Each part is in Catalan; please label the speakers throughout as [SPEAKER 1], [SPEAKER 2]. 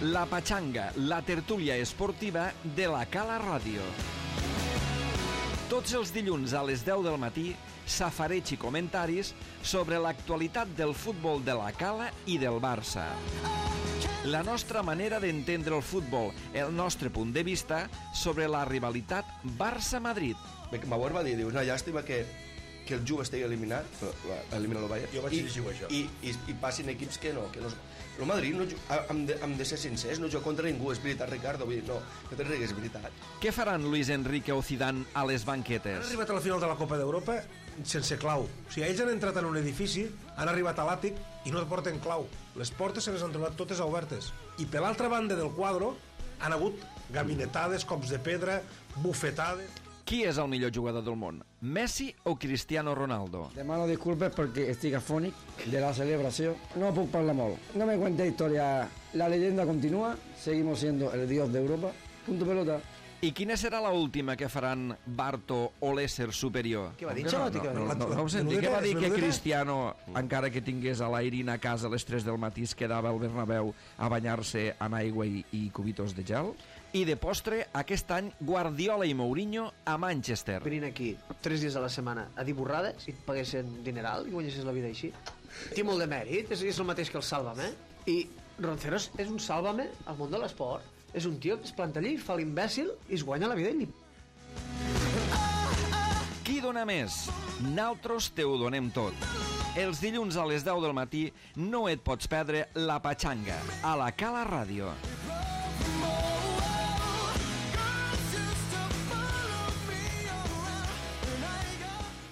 [SPEAKER 1] La Pachanga, la tertúlia esportiva de la Cala Ràdio. Tots els dilluns a les 10 del matí, safareig i comentaris sobre l'actualitat del futbol de la Cala i del Barça. La nostra manera d'entendre el futbol, el nostre punt de vista sobre la rivalitat Barça-Madrid.
[SPEAKER 2] Bauer va dir, una llàstima que el Juve estigui eliminat, elimina el Bayern,
[SPEAKER 3] jo vaig dir això.
[SPEAKER 2] I passin equips que no. El Madrid, hem de ser sincers, no juga contra ningú, és veritat, Ricardo, vull dir, no te rigues, és veritat.
[SPEAKER 1] Què faran Luis Enrique o Zidane a les banquetes?
[SPEAKER 3] Han arribat a la final de la Copa d'Europa sense clau. O sigui, ells han entrat en un edifici, han arribat a l'àtic i no porten clau. Les portes se les han trobat totes obertes. I per l'altra banda del quadre han hagut gabinetades, cops de pedra, bufetades...
[SPEAKER 1] Qui és el millor jugador del món? Messi o Cristiano Ronaldo?
[SPEAKER 4] Demano disculpes perquè estic afònic de la celebració. No puc parlar molt. No me cuente historia. La leyenda continúa. Seguimos siendo el dios de Europa. Punto pelota.
[SPEAKER 1] I quina serà la última que faran Barto o l'ésser superior?
[SPEAKER 5] Què va dir?
[SPEAKER 1] No ho senti. Què va dir que Cristiano, encara que tingués a l'Airin a casa a les 3 del matí, es quedava al Bernabéu a banyar-se en aigua i cubitos de gel? I de postre, aquest any, Guardiola i Mourinho a Manchester.
[SPEAKER 5] Venint aquí 3 dies a la setmana a dir borrades i et paguessin dineral i guanyessis la vida així. Té molt de mèrit, és el mateix que el Sálvame. I Ronceros és un Sálvame al món de l'esport. És un tio que es planta allí, fa l'imbècil i es guanya la vida i
[SPEAKER 1] Qui dona més? Naltros te ho donem tot. Els dilluns a les 10 del matí no et pots perdre La Pachanga a la Cala Ràdio.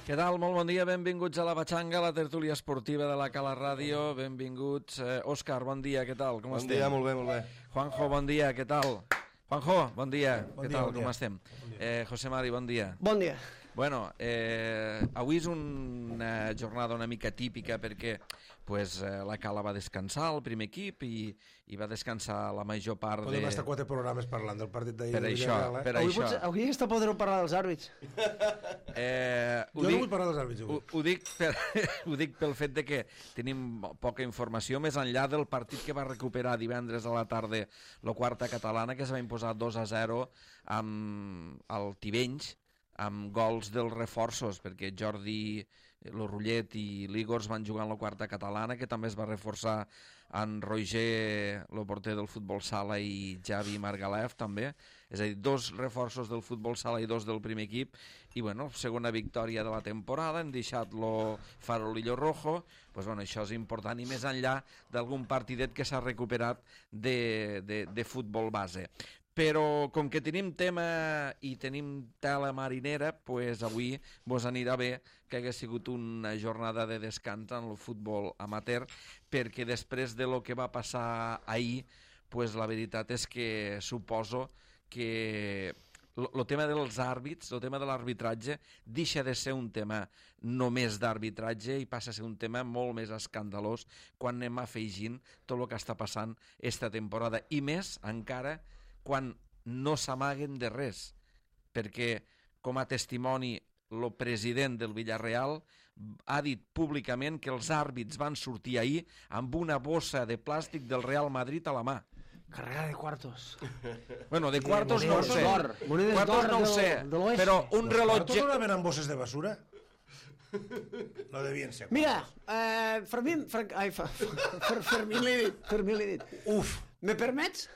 [SPEAKER 1] Què tal? Molt bon dia, benvinguts a La Pachanga, la tertúlia esportiva de la Cala Ràdio. Benvinguts. Òscar, bon dia, què tal? Com estem?
[SPEAKER 2] Bon dia, molt bé, molt bé.
[SPEAKER 1] Juanjo, bon dia, què tal? Juanjo, bon dia, què tal? Com estem? José Mari, bon dia.
[SPEAKER 5] Bon dia.
[SPEAKER 1] Bueno, avui és una jornada una mica típica perquè la Cala va descansar, el primer equip, i va descansar la major part de...
[SPEAKER 3] Podem estar 4 programes parlant del partit d'ahir.
[SPEAKER 1] Per això.
[SPEAKER 5] Avui està podent parlar dels àrbits.
[SPEAKER 3] Jo no vull parlar dels àrbits avui.
[SPEAKER 1] Ho dic pel fet de que tenim poca informació, més enllà del partit que va recuperar divendres a la tarda la quarta catalana, que es va imposar 2-0 amb el Tivenys, amb gols dels reforços, perquè Jordi Lorullet i l'Igor van jugar en la quarta catalana, que també es va reforçar en Roger, el porter del futbol sala, i Javi Margalef també, és a dir, 2 reforços del futbol sala i 2 del primer equip, i bueno, segona victòria de la temporada, hem deixat lo farolillo rojo, això és important, i més enllà d'algun partidet que s'ha recuperat de futbol base. Però com que tenim tema i tenim tela marinera, avui vos anirà bé que hagués sigut una jornada de descans en el futbol amateur, perquè després de lo que va passar ahir, la veritat és que suposo que el tema dels àrbits, el tema de l'arbitratge, deixa de ser un tema només d'arbitratge i passa a ser un tema molt més escandalós quan anem afegint tot el que està passant esta temporada. I més encara quan no s'amaguen de res, perquè com a testimoni el president del Villarreal ha dit públicament que els àrbits van sortir ahir amb una bossa de plàstic del Real Madrid a la mà.
[SPEAKER 5] Carregada de quartos.
[SPEAKER 1] Bueno, de quartos no ho sé.
[SPEAKER 5] Quartos
[SPEAKER 1] no ho sé, però un rellotge...
[SPEAKER 3] Quartos no anaven amb bosses de basura? No devien ser.
[SPEAKER 5] Mira, Fermín l'he dit.
[SPEAKER 3] Uf.
[SPEAKER 5] Me permets?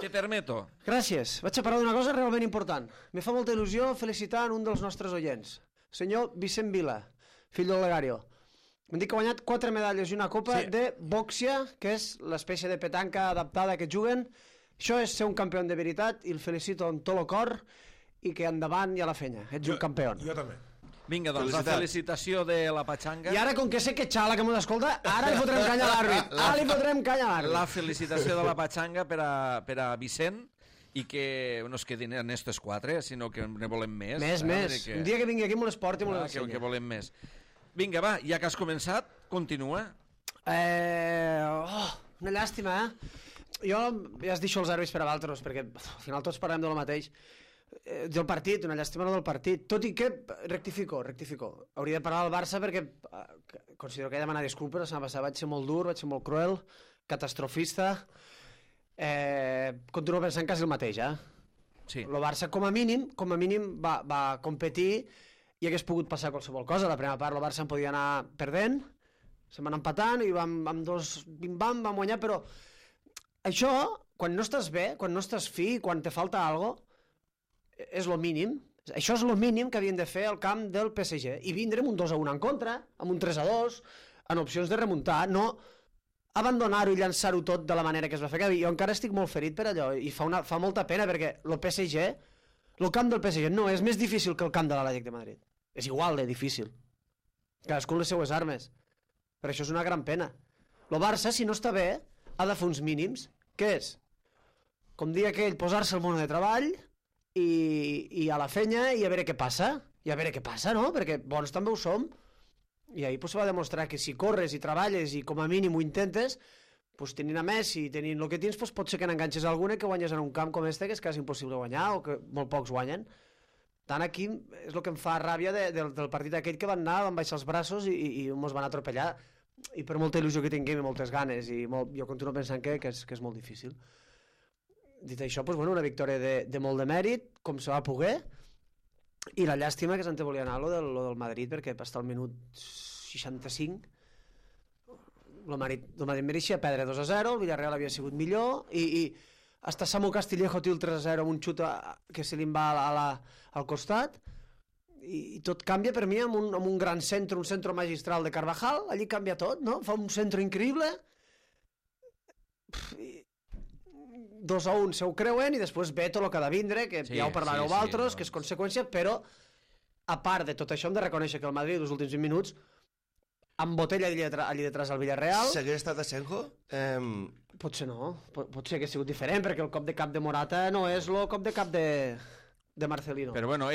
[SPEAKER 1] Te permeto.
[SPEAKER 5] Gràcies. Vaig a parlar d'una cosa realment important. Me fa molta il·lusió felicitar un dels nostres oients, senyor Vicent Vila, fill del Legario. M'han dit que ha guanyat 4 medalles i una copa de bòxia, que és l'espècie de petanca adaptada que juguen. Això és ser un campió de veritat i el felicito amb tot el cor i que endavant i a la fenya. Ets un campió.
[SPEAKER 3] Jo també.
[SPEAKER 1] Vinga, doncs, la felicitació de la Pachanga.
[SPEAKER 5] I ara, com que sé que xala que m'ho escolta, ara li fotrem canya a l'àrbit. Ara li fotrem canya a l'àrbit.
[SPEAKER 1] La felicitació de la Pachanga per a Vicent, i que no es quedin en estes 4, sinó que ne volem més.
[SPEAKER 5] Més. Un dia que vingui aquí me les porti i me les ensenyi.
[SPEAKER 1] Que volem més. Vinga, va, ja que has començat, continua.
[SPEAKER 5] Una llàstima, Jo ja es deixo els àrbits per a altres, perquè al final tots parlem del mateix. Del partit, una llàstima no del partit, tot i que rectifico, hauria de parlar del Barça perquè considero que he de demanar disculpes, la setmana passada vaig ser molt dur, vaig ser molt cruel, catastrofista, continuo pensant quasi el mateix,
[SPEAKER 1] Sí.
[SPEAKER 5] El Barça, com a mínim, va competir i hagués pogut passar qualsevol cosa. La primera part el Barça en podia anar perdent, se'n van empatant i amb 2 bim-bam vam guanyar, però això, quan no estàs bé, quan no estàs fi, quan te falta algo, és lo mínim. Això és lo mínim que havien de fer al camp del PSG. I vindre amb un 2-1 en contra, amb un 3-2, en opcions de remuntar, no abandonar-ho i llançar-ho tot de la manera que es va fer. Jo encara estic molt ferit per allò i fa molta pena perquè el camp del PSG no és més difícil que el camp de l'Atlètic de Madrid. És igual de difícil. Cadascú les seues armes. Per això és una gran pena. El Barça, si no està bé, ha de fer uns mínims. Què és? Com dia aquell, posar-se al món de treball i a la fenya i a veure què passa. I a veure què passa, no? Perquè bons també ho som. I ahir se va demostrar que si corres i treballes i com a mínim ho intentes, tenint a Messi i tenint el que tens, pot ser que n'enganxes alguna que guanyes en un camp com este, que és quasi impossible guanyar o que molt pocs guanyen. Tant aquí és el que em fa ràbia del partit aquell que van anar, van baixar els braços i mos van atropellar. I per molta il·lusió que tinguem i moltes ganes, jo continuo pensant que és molt difícil. Dit això, una victòria de molt de mèrit, com se va poder, i la llàstima que se'n te volia anar lo del Madrid, perquè per estar al minut 65 el Madrid mereixia perdre 2-0, el Villarreal havia sigut millor i hasta Samu Castillejo té el 3-0 amb un xut que se li va al costat i tot canvia per mi amb un gran centre, un centre magistral de Carvajal, allí canvia tot, no? Fa un centre increïble 2-1 se ho creuen i després ve tot el que ha de vindre, que ja ho parlareu vosaltres, que és conseqüència, però a part de tot això hem de reconèixer que el Madrid els últims 20 minuts embotella allí detrás al Villarreal.
[SPEAKER 2] S'hagués estat a Senjo?
[SPEAKER 5] Potser no, potser hagués sigut diferent, perquè el cop de cap de Morata no és el cop de cap de Marcelino.
[SPEAKER 1] Però bueno,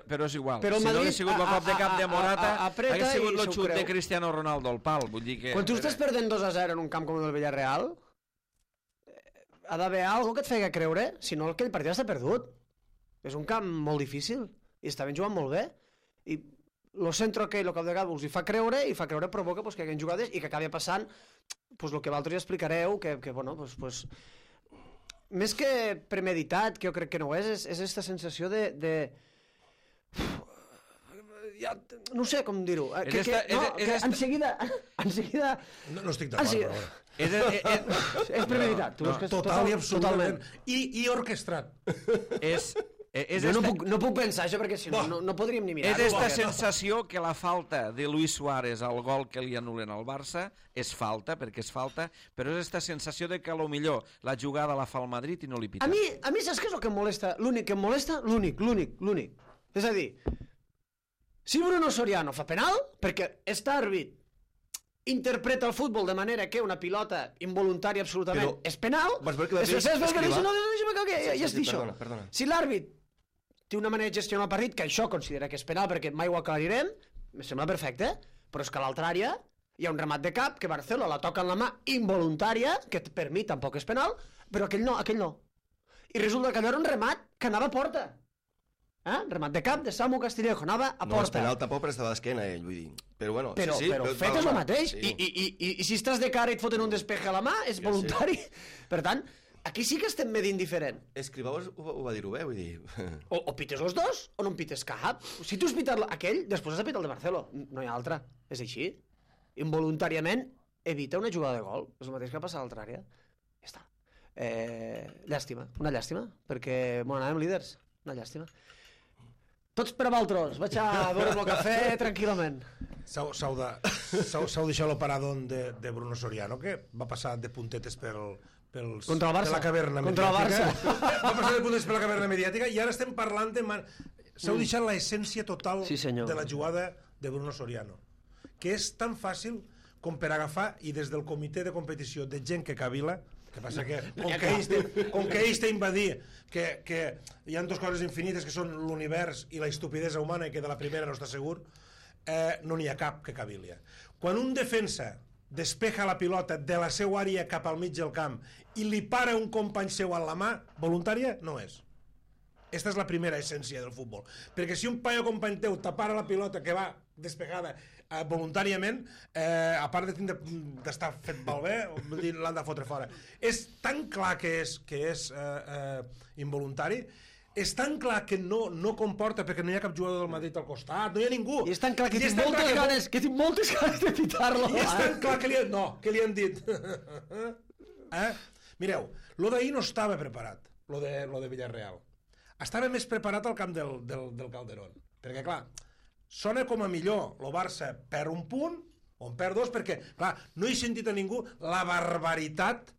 [SPEAKER 1] però és igual.
[SPEAKER 5] Però
[SPEAKER 1] si no hagués sigut el cop de cap de Morata, hagués sigut el xut de Cristiano Ronaldo al pal. Vull dir que...
[SPEAKER 5] Quan tu estàs perdent 2-0 en un camp com el del Villarreal, ha d'haver alguna que et feia creure, si no aquell partit està perdut. És un camp molt difícil i estaven jugant molt bé i el centre aquell, el cap de cap us hi fa creure i fa creure provoca que hi hagi jugades i que acabi passant el que vosaltres ja explicareu que més que premeditat, que jo crec que no és aquesta sensació de ja, no sé com dir-ho, que en seguida
[SPEAKER 3] no estic d'acord, però
[SPEAKER 5] és premeditat,
[SPEAKER 3] total i absolutament i orquestrat.
[SPEAKER 5] Jo no puc pensar això perquè si no podríem ni mirar-ho.
[SPEAKER 1] És aquesta sensació que la falta de Luis Suárez al gol que li anulen al Barça és falta, perquè és falta, però és aquesta sensació de que potser la jugada la fa el Madrid i no li pita.
[SPEAKER 5] A mi saps què és el que em molesta? L'únic que em molesta, l'únic. És a dir, si Bruno Soriano fa penal, perquè este àrbit interpreta el futbol de manera que una pilota involuntària absolutament és penal, si l'àrbit té una manera de gestionar el partit, que això considera que és penal perquè mai ho aclarirem, em sembla perfecte, però és que a l'altra àrea hi ha un remat de cap que Barcelona la toca en la mà involuntària, que per mi tampoc és penal, però aquell no. I resulta que allò era un remat que anava a porta. Remat de cap de Samu Castillejo, anava a porta.
[SPEAKER 2] No és penal tampoc, però estava d'esquena ell, vull dir. Però bueno,
[SPEAKER 5] però fet és el mateix. I si estàs de cara i et foten un despeje a la mà, és voluntari. Per tant, aquí sí que estem medint diferent.
[SPEAKER 2] Escrivau ho va dir-ho bé, vull dir...
[SPEAKER 5] O pites els dos, o no en pites cap. Si tu has pitat aquell, després has de pitar el de Barceló. No hi ha altra. És així. Involuntàriament evita una jugada de gol. És el mateix que passa a l'altra àrea. Ja està. Llàstima. Una llàstima. Perquè anàvem líders. Una llàstima. Tots per a vosaltres. Vaig a veure el cafè tranquil·lament.
[SPEAKER 3] S'heu deixat l'operador de Bruno Soriano, que va passar de puntetes
[SPEAKER 5] contra el Barça.
[SPEAKER 3] per la caverna
[SPEAKER 5] contra
[SPEAKER 3] mediàtica.
[SPEAKER 5] El Barça.
[SPEAKER 3] Va passar de puntetes per la caverna mediàtica i ara estem parlant de... S'heu deixat l'essència total de la jugada de Bruno Soriano, que és tan fàcil com per agafar i des del comitè de competició de gent que cavila, que passa que com que ells t'ha invadir que hi ha dues coses infinites que són l'univers i la estupidesa humana i que de la primera no està segur, no n'hi ha cap que cavilia. Quan un defensa despeja la pilota de la seva àrea cap al mig del camp i li para un company seu a la mà, voluntària no és. Esta és la primera essència del futbol. Perquè si un paio company teu tapara la pilota que va despegada voluntàriament, a part d'estar fet malbé, l'han de fotre fora. És tan clar que és involuntari, és tan clar que no comporta, perquè no hi ha cap jugador del Madrid al costat, no hi ha ningú.
[SPEAKER 5] I és tan clar que tinc moltes ganes de pitar-lo.
[SPEAKER 3] I és tan clar que li han dit. Mireu, lo d'ahir no estava preparat, lo de Villarreal. Estava més preparat al camp del Calderón. Perquè, clar, sona com a millor el Barça perd un punt, o en perd dos, perquè, clar, no he sentit a ningú la barbaritat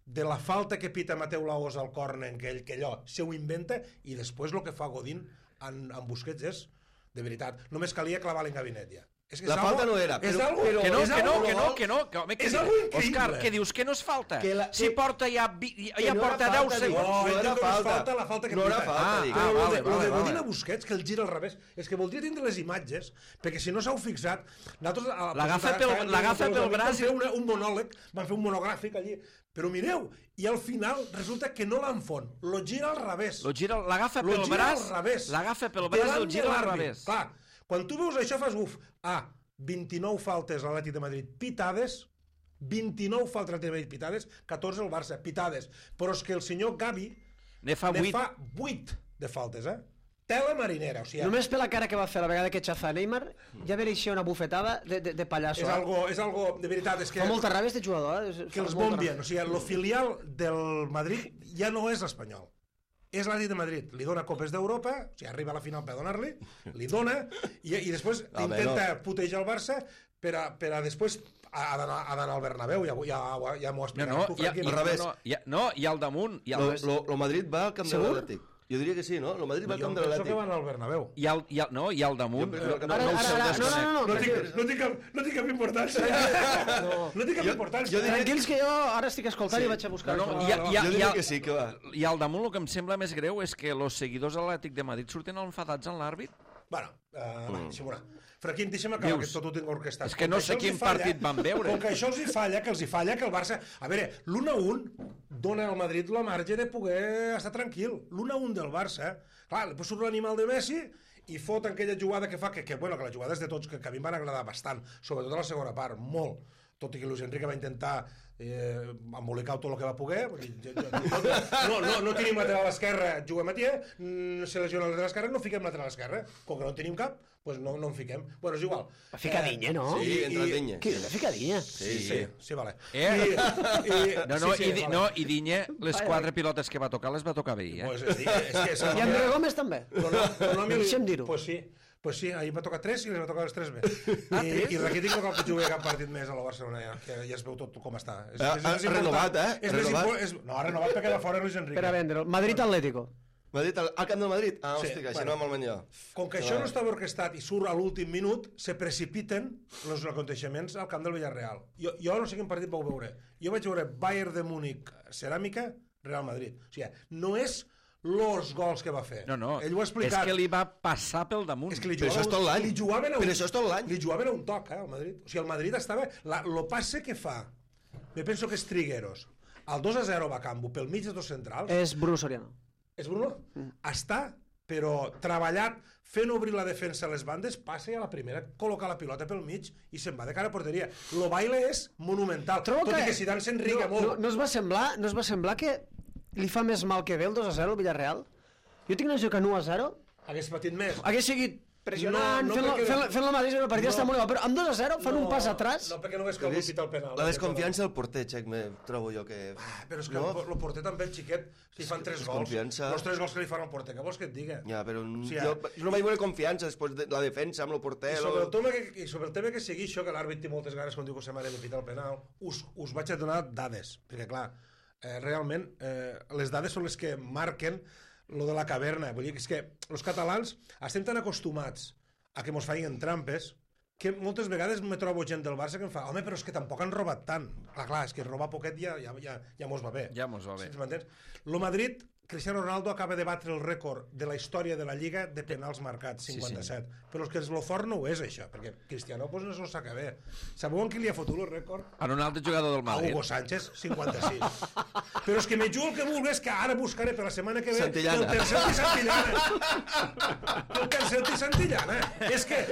[SPEAKER 3] de la falta que pita Mateu Laoz al córner, que allò se ho inventa, i després el que fa Godín en Busquets és, de veritat, només calia clavar-li en gabinet ja.
[SPEAKER 2] La falta no era,
[SPEAKER 1] que no. Home,
[SPEAKER 3] és algo increïble.
[SPEAKER 1] Òscar, què dius? Que no és falta? Si porta ja porta 10 segons.
[SPEAKER 3] No era falta. La falta que
[SPEAKER 2] no era falta, dic.
[SPEAKER 3] Lo de Godín a Busquets, que el gira al revés, és que voldria tindre les imatges, perquè si no s'heu fixat,
[SPEAKER 1] l'agafa pel braç
[SPEAKER 3] i un monòleg, van fer un monogràfic allí, però mireu, i al final resulta que no l'enfon, lo gira al revés.
[SPEAKER 1] L'agafa pel braç i el gira al revés.
[SPEAKER 3] Clar, quan tu veus això fas 29 faltes a l'Atlètic de Madrid pitades, 29 faltes a l'Atlètic de Madrid pitades, 14 al Barça pitades, però és que el senyor Gavi
[SPEAKER 1] ne fa
[SPEAKER 3] 8 de faltes, tela marinera, o sigui...
[SPEAKER 5] Només per la cara que va fer la vegada que xafa Neymar ja mereixia una bufetada de pallasso.
[SPEAKER 3] És algo, de veritat, és que...
[SPEAKER 5] Fa molta ràbia este jugador,
[SPEAKER 3] que els bombien, o sigui, el filial del Madrid ja no és l'Espanyol. És l'Atlètic de Madrid, li dona copes d'Europa, o sigui, arriba a la final per donar-li, li dona, i després intenta putejar el Barça per a després ha d'anar al Bernabéu, ja m'ho explicaràs tu, Franqui.
[SPEAKER 2] Al revés.
[SPEAKER 1] I al damunt.
[SPEAKER 2] El Madrid va al camp de l'Atlètic. Jo diria que sí, no? El Madrid va al camp de l'Atlètic.
[SPEAKER 3] Jo penso que van al Bernabéu.
[SPEAKER 1] I al damunt.
[SPEAKER 3] No tinc cap importància. No tinc cap importància.
[SPEAKER 5] Tranquils que jo ara estic escoltant i vaig a buscar.
[SPEAKER 2] Jo diria que sí, que va.
[SPEAKER 1] I al damunt el que em sembla més greu és que els seguidors de l'Atlètic de Madrid surten enfadats en l'àrbit.
[SPEAKER 3] Bueno, deixem-ho anar. Franquín, deixa'm acabar, que tot ho tinc orquestat.
[SPEAKER 1] És que no sé quin partit van veure.
[SPEAKER 3] Com que això els hi falla, que el Barça... A veure, l'1-1 dona al Madrid la marge de poder estar tranquil. L'1-1 del Barça, clar, després surt l'animal de Messi i fot aquella jugada que fa, que la jugada és de tots, que a mi em van agradar bastant, sobretot a la segona part, molt. Tot i que Luis Enrique va intentar embolicar tot el que va poder. No tenim lateral a l'esquerra, juguem a tia, se lesiona el lateral esquerra, no fiquem lateral a l'esquerra. Com que no en tenim cap, doncs no en fiquem. Bueno, és igual.
[SPEAKER 5] Fica Dinya, no?
[SPEAKER 2] Sí, entra Dinya.
[SPEAKER 5] Fica Dinya.
[SPEAKER 3] Sí, vale.
[SPEAKER 1] I Dinya, les 4 pilotes que va tocar, les va tocar bé,
[SPEAKER 5] I André Gómez també. Deixem dir-ho.
[SPEAKER 3] Pues sí, ahir va tocar 3 i les va tocar les 3 bé. I Rakitic no cal que jugui cap partit més a la Barcelona ja, que ja es veu tot com està.
[SPEAKER 2] Ha renovat,
[SPEAKER 3] No, ha renovat perquè va fora Luis Enrique.
[SPEAKER 5] Per a vendre'l. Madrid-Atlético.
[SPEAKER 2] Madrid, al camp del Madrid? Hòstia, això no va molt millor.
[SPEAKER 3] Com que això no estava orquestat i surt a l'últim minut, se precipiten els aconteixements al camp del Villarreal. Jo no sé quin partit vau veure. Jo vaig veure Bayern de Múnich, Ceràmica, Real Madrid. O sigui, no és los gols que va fer.
[SPEAKER 1] No,
[SPEAKER 3] ell ho ha explicat.
[SPEAKER 1] És que li va passar pel damunt.
[SPEAKER 3] És que
[SPEAKER 2] però això és tot l'any. Però això és tot l'any.
[SPEAKER 3] Li jugaven a un toc, al Madrid. O sigui, el Madrid estava... Lo passe que fa, me penso que és Trigueros, el 2-0 va a Campo, pel mig dels dos centrals...
[SPEAKER 5] És Bruno Soriano.
[SPEAKER 3] És Bruno? Està, però treballat, fent obrir la defensa a les bandes, passa a la primera, col·loca la pilota pel mig i se'n va de cara a porteria. Lo baile és monumental, tot i que Zidane s'enriga molt.
[SPEAKER 5] No es va semblar que li fa més mal que bé el 2-0 al Villarreal? Jo tinc una sensació que 1-0
[SPEAKER 3] hagués patit més.
[SPEAKER 5] Hagués seguit pressionant, fent la mateixa, el partit està molt igual, però amb 2-0 fan un pas atràs.
[SPEAKER 3] No, perquè no ves que algú pita el penal.
[SPEAKER 2] La desconfiança del porter, Xec, trobo jo que...
[SPEAKER 3] Però és que el porter també, el xiquet, li fan 3 gols. Els 3 gols que li fan al porter, què vols que et diga?
[SPEAKER 2] Ja, però jo no vaig veure confiança després de la defensa amb el porter.
[SPEAKER 3] I sobre el tema que sigui això, que l'àrbit té moltes ganes quan diu que se m'ha de pitar el penal, us vaig a donar dades, perquè clar, realment les dades són les que marquen lo de la caverna. Vull dir que és que els catalans estem tan acostumats a que mos feien trampes que moltes vegades me trobo gent del Barça que em fa home, però és que tampoc han robat tant. Clar, és que robar poquet ja mos va bé.
[SPEAKER 1] Ja mos va bé.
[SPEAKER 3] M'entens? Lo Madrid Cristiano Ronaldo acaba de batre el rècord de la història de la Lliga de penals marcats, 57. Però és que el fort no ho és, això, perquè Cristiano pues, no s'ho saca bé. Sabeu en qui li ha fotut el rècord?
[SPEAKER 1] En un altre jugador del
[SPEAKER 3] A
[SPEAKER 1] Madrid.
[SPEAKER 3] Hugo Sánchez, 56. Però és que me jugo el que vulguis, que ara buscaré per la setmana que ve
[SPEAKER 2] Santillana.
[SPEAKER 3] el tercer i Santillana. El tercer i Santillana. És que,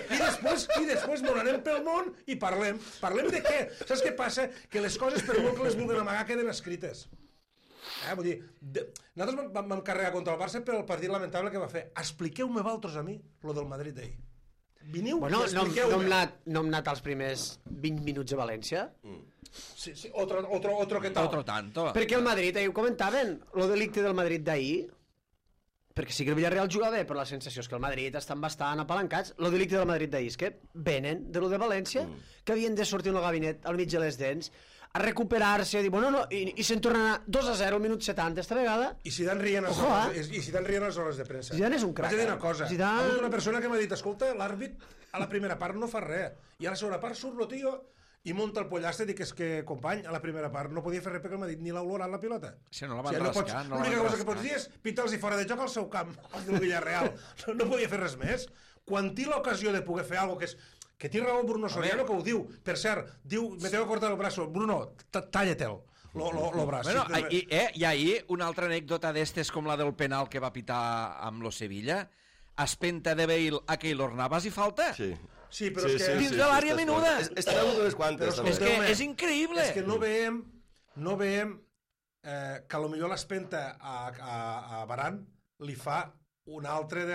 [SPEAKER 3] i després m'ho anem pel món i parlem. Parlem de què? Saps què passa? Que les coses, per molt que les vulguin amagar, queden escrites. Vull dir, nosaltres vam carregar contra el Barça per el partit lamentable que va fer. Expliqueu-me vosaltres a mi lo del Madrid d'ahir. Veniu
[SPEAKER 5] Bueno,
[SPEAKER 3] i
[SPEAKER 5] no
[SPEAKER 3] expliqueu-me.
[SPEAKER 5] hem anat als primers 20 minuts a València?
[SPEAKER 3] Sí, otro que tal.
[SPEAKER 1] Otro tanto.
[SPEAKER 5] Perquè el Madrid, ahir ho comentaven, lo delicte del Madrid d'ahir, perquè sí que el Villarreal juga bé, però la sensació és que el Madrid estan bastant apalancats. Lo delicte del Madrid d'ahir és que venen de lo de València, que havien de sortir en el gabinet al mig de les dents, a recuperar-se, a dir, bueno, no, i se'n tornen a 2-0 al minut 70 esta vegada.
[SPEAKER 3] I Zidane rient a les hores de premsa.
[SPEAKER 5] Zidane és un crac.
[SPEAKER 3] Vaig a dir una cosa.
[SPEAKER 5] Zidane...
[SPEAKER 3] Hi ha hagut una persona que m'ha dit, escolta, l'àrbit a la primera part no fa res. I a la segona part surt lo tio i munta el pollastre i dic, és que, company, a la primera part no podia fer res perquè m'ha dit ni l'ha olorat la pilota.
[SPEAKER 1] Si no la van rascar, no la
[SPEAKER 3] l'única
[SPEAKER 1] van
[SPEAKER 3] cosa que pots dir és pitar-los fora de joc al seu camp, al del Villarreal. No podia fer res més. Quan té l'ocasió de poder fer alguna cosa que té raó Bruno Soriano, que ho diu. Per cert, diu, me tengo que cortar el braço. Bruno, talla-te'l, lo braç.
[SPEAKER 1] Bueno, i ahir una altra anècdota d'estes com la del penal que va pitar amb lo Sevilla, espenta de Bale a Keylor Navas i falta.
[SPEAKER 3] Sí, però és que...
[SPEAKER 1] Dins de l'àrea menuda.
[SPEAKER 2] Estarà unes quantes.
[SPEAKER 1] És que és increïble.
[SPEAKER 3] És que no veiem que a lo millor l'espenta a Varane li fa un altre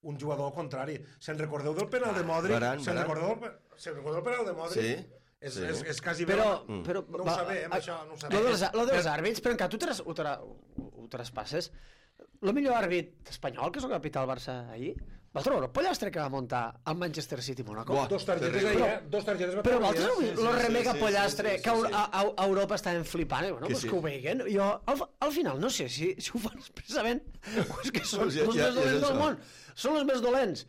[SPEAKER 3] un jugador al contrari. Se'n recordeu del penal de Modric? Se'n recordeu del penal de Modric?
[SPEAKER 2] Sí.
[SPEAKER 3] És quasi...
[SPEAKER 5] Però
[SPEAKER 3] no ho sabem, això, no ho sabem.
[SPEAKER 5] Lo dels àrbits, però encara tu traspasses. El millor àrbit espanyol, que és el capità del Barça ahir, va trobar el pollastre que va muntar al Manchester City Monaco.
[SPEAKER 3] Dos targetes ahir, dos targetes va
[SPEAKER 5] però
[SPEAKER 3] per
[SPEAKER 5] vosaltres lo remega pollastre que a Europa estaven flipant, bueno, pues que ho veiguen. Jo, al final, no sé si ho fan expressament o és que són els més dolents del món. Són els més dolents.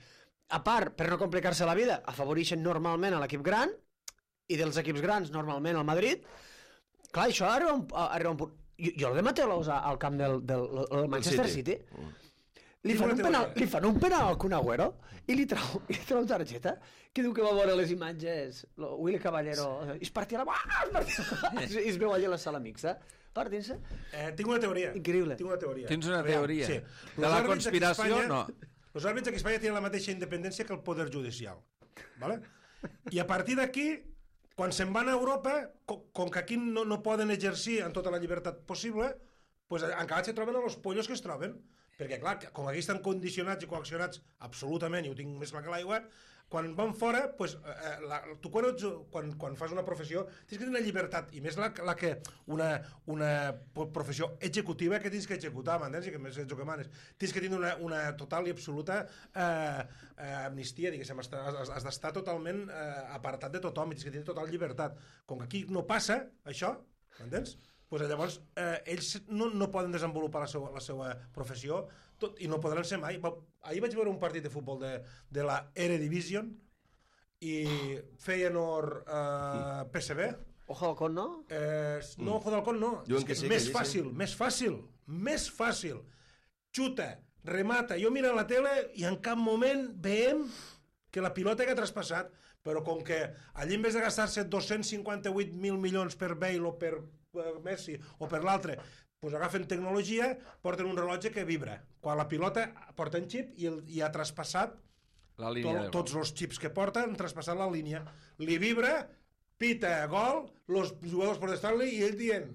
[SPEAKER 5] A part, per no complicar-se la vida, afavoreixen normalment a l'equip gran i dels equips grans, normalment al Madrid. Clar, això arriba un punt. Jo el de Mateus al camp del Manchester City. Li fan un penal al Kun Agüero i li trau targeta que diu que va veure les imatges Willy Caballero i es partia i es veu allà a la sala mixta partint-se.
[SPEAKER 3] Tinc una teoria.
[SPEAKER 5] Increïble.
[SPEAKER 1] Tens una teoria?
[SPEAKER 3] Sí.
[SPEAKER 1] De la conspiració, no.
[SPEAKER 3] Els àrbits aquí a Espanya tenen la mateixa independència que el poder judicial. ¿Vale? I a partir d'aquí, quan se'n van a Europa, com que aquí no poden exercir en tota la llibertat possible, pues encara se troben a los pollos que es troben. Perquè, clar, com aquí estan condicionats i coaccionats absolutament, i ho tinc més clar que l'aigua, quan van fora, pues, tu quan fas una professió tens que tenir una llibertat, i més la que una professió executiva que tens que executar, m'entens? I que més ets el que manes. Tens que tenir una total i absoluta amnistia, diguéssim, has d'estar totalment apartat de tothom i tens que tenir total llibertat. Com que aquí no passa això, m'entens? Pues llavors ells no poden desenvolupar la seva professió i no podran ser mai. Ahir vaig veure un partit de futbol de la Eredivision i Feyenoord PSV.
[SPEAKER 5] Ojo del Con, no?
[SPEAKER 3] No, Ojo del Con no. Més fàcil. Xuta, remata. Jo miro la tele i en cap moment veiem que la pilota que ha traspassat, però com que allí en vez de gastar-se 258.000 milions per Bale o per Messi o per l'altre, pues agafen tecnologia, porten un rellotge que vibra. Quan la pilota porta un xip i ha traspassat tots els xips que porta, han traspassat la línia. Li vibra, pita, gol, els jugadors protestant-li i ell dient,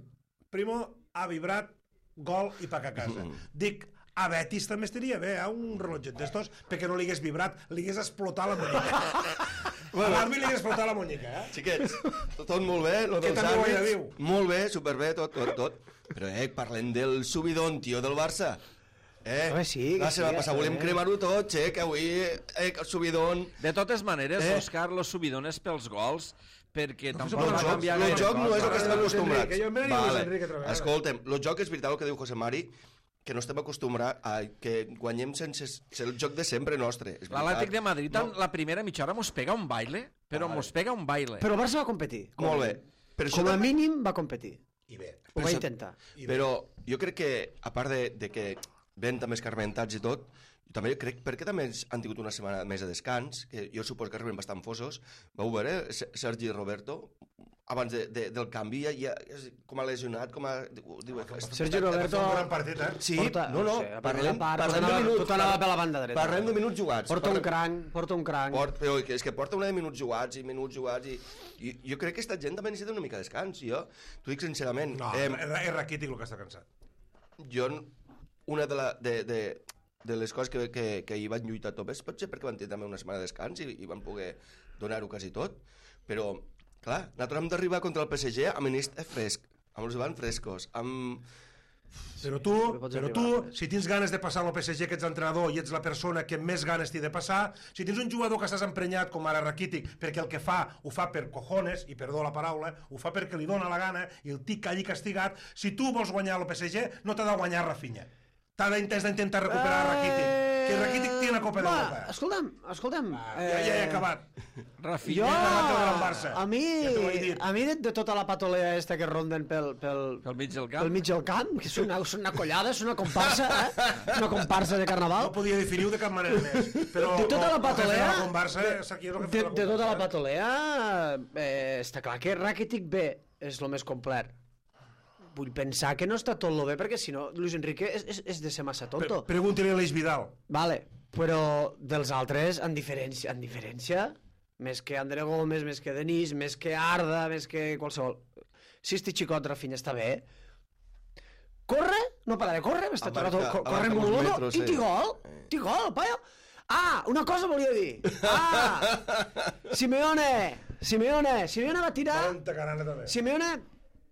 [SPEAKER 3] primo, ha vibrat, gol i paga a casa. Dic, a Betis també estaria bé, un rellotget d'estos, perquè no li hagués vibrat, li hagués explotat la muñeca. A l'àrbit li hagués explotat la muñeca,
[SPEAKER 2] Xiquets, tot molt bé, lo dels àrbits, molt bé, superbé, tot. Però, parlem del subidón, tio, del Barça. La setmana passada volem cremar-ho tot, que avui, subidón...
[SPEAKER 1] De totes maneres, Òscar, los subidones pels gols, perquè tampoc va canviar
[SPEAKER 2] gaire. El joc no és el que estem
[SPEAKER 3] acostumbrats.
[SPEAKER 2] Escolta'm, el joc és veritat el que diu José Mari, que no estem acostumbrats a que guanyem sense ser el joc de sempre nostre.
[SPEAKER 1] L'Atlètic de Madrid, la primera mitja hora mos pega un baile, però mos pega un baile.
[SPEAKER 5] Però el Barça va competir.
[SPEAKER 2] Molt bé.
[SPEAKER 5] Com a mínim va competir.
[SPEAKER 3] i bé.
[SPEAKER 5] Ho va intentar.
[SPEAKER 2] Però jo crec que, a part de que ven també escarmentats i tot, també crec, perquè també han tingut una setmana més de descans, que jo suposo que arriben bastant fosos. Vau veure, Sergi Roberto, abans del canvi, ja com ha lesionat, com ha...
[SPEAKER 5] Sergi Roberto...
[SPEAKER 3] Un gran partit, eh?
[SPEAKER 2] Sí, no, parlem de minuts...
[SPEAKER 5] Tot anava per la banda dreta.
[SPEAKER 2] Parlem de minuts jugats.
[SPEAKER 5] Porta un cranc.
[SPEAKER 2] Però és que porta una de minuts jugats, i jo crec que aquesta gent també necessita una mica de descans, jo t'ho dic sincerament.
[SPEAKER 3] No, és Rakitic el que està cansat.
[SPEAKER 2] Jo, una de les coses que hi van lluitar tot és potser perquè van tenir també una setmana de descans i van poder donar-ho quasi tot, però clar, nosaltres hem d'arribar contra el PSG amb l'inici fresc, amb els davant frescos, amb...
[SPEAKER 3] Però tu, si tens ganes de passar al PSG, que ets l'entrenador i ets la persona que més ganes t'hi de passar, si tens un jugador que estàs emprenyat com ara Rakitic, perquè el que fa, ho fa per cojones, i perdó la paraula, ho fa perquè li dona la gana i el tic allí castigat, si tu vols guanyar el PSG, no t'ha de guanyar Rafinha. T'ha d'intentar recuperar Rakitic. Que Rakitic té la Copa d'Europa.
[SPEAKER 5] Escolta'm.
[SPEAKER 3] Ja he acabat.
[SPEAKER 5] Jo, a mi de tota la patolea esta que ronden pel
[SPEAKER 1] mig del camp.
[SPEAKER 5] Pel mig del camp, que és una collada, és una comparsa, una comparsa de carnaval.
[SPEAKER 3] No podia definir-ho de cap manera més. Però
[SPEAKER 5] de tota la patolea,
[SPEAKER 3] de
[SPEAKER 5] tota la patolea, està clar que Rakitic B és el més complet. Vull pensar que no està tot lo bé, perquè si no, Luis Enrique és de ser massa tonto.
[SPEAKER 3] Pregunti-li a l'Eix Vidal.
[SPEAKER 5] Vale, però dels altres, en diferència, més que André Gómez, més que Denis, més que Arda, més que qualsevol... Si este xicot Rafinha està bé, corre, no para de córrer, està tot el rato corrent molt, i té gol, paio. Ah, una cosa volia dir. Simeone va tirar... Simeone...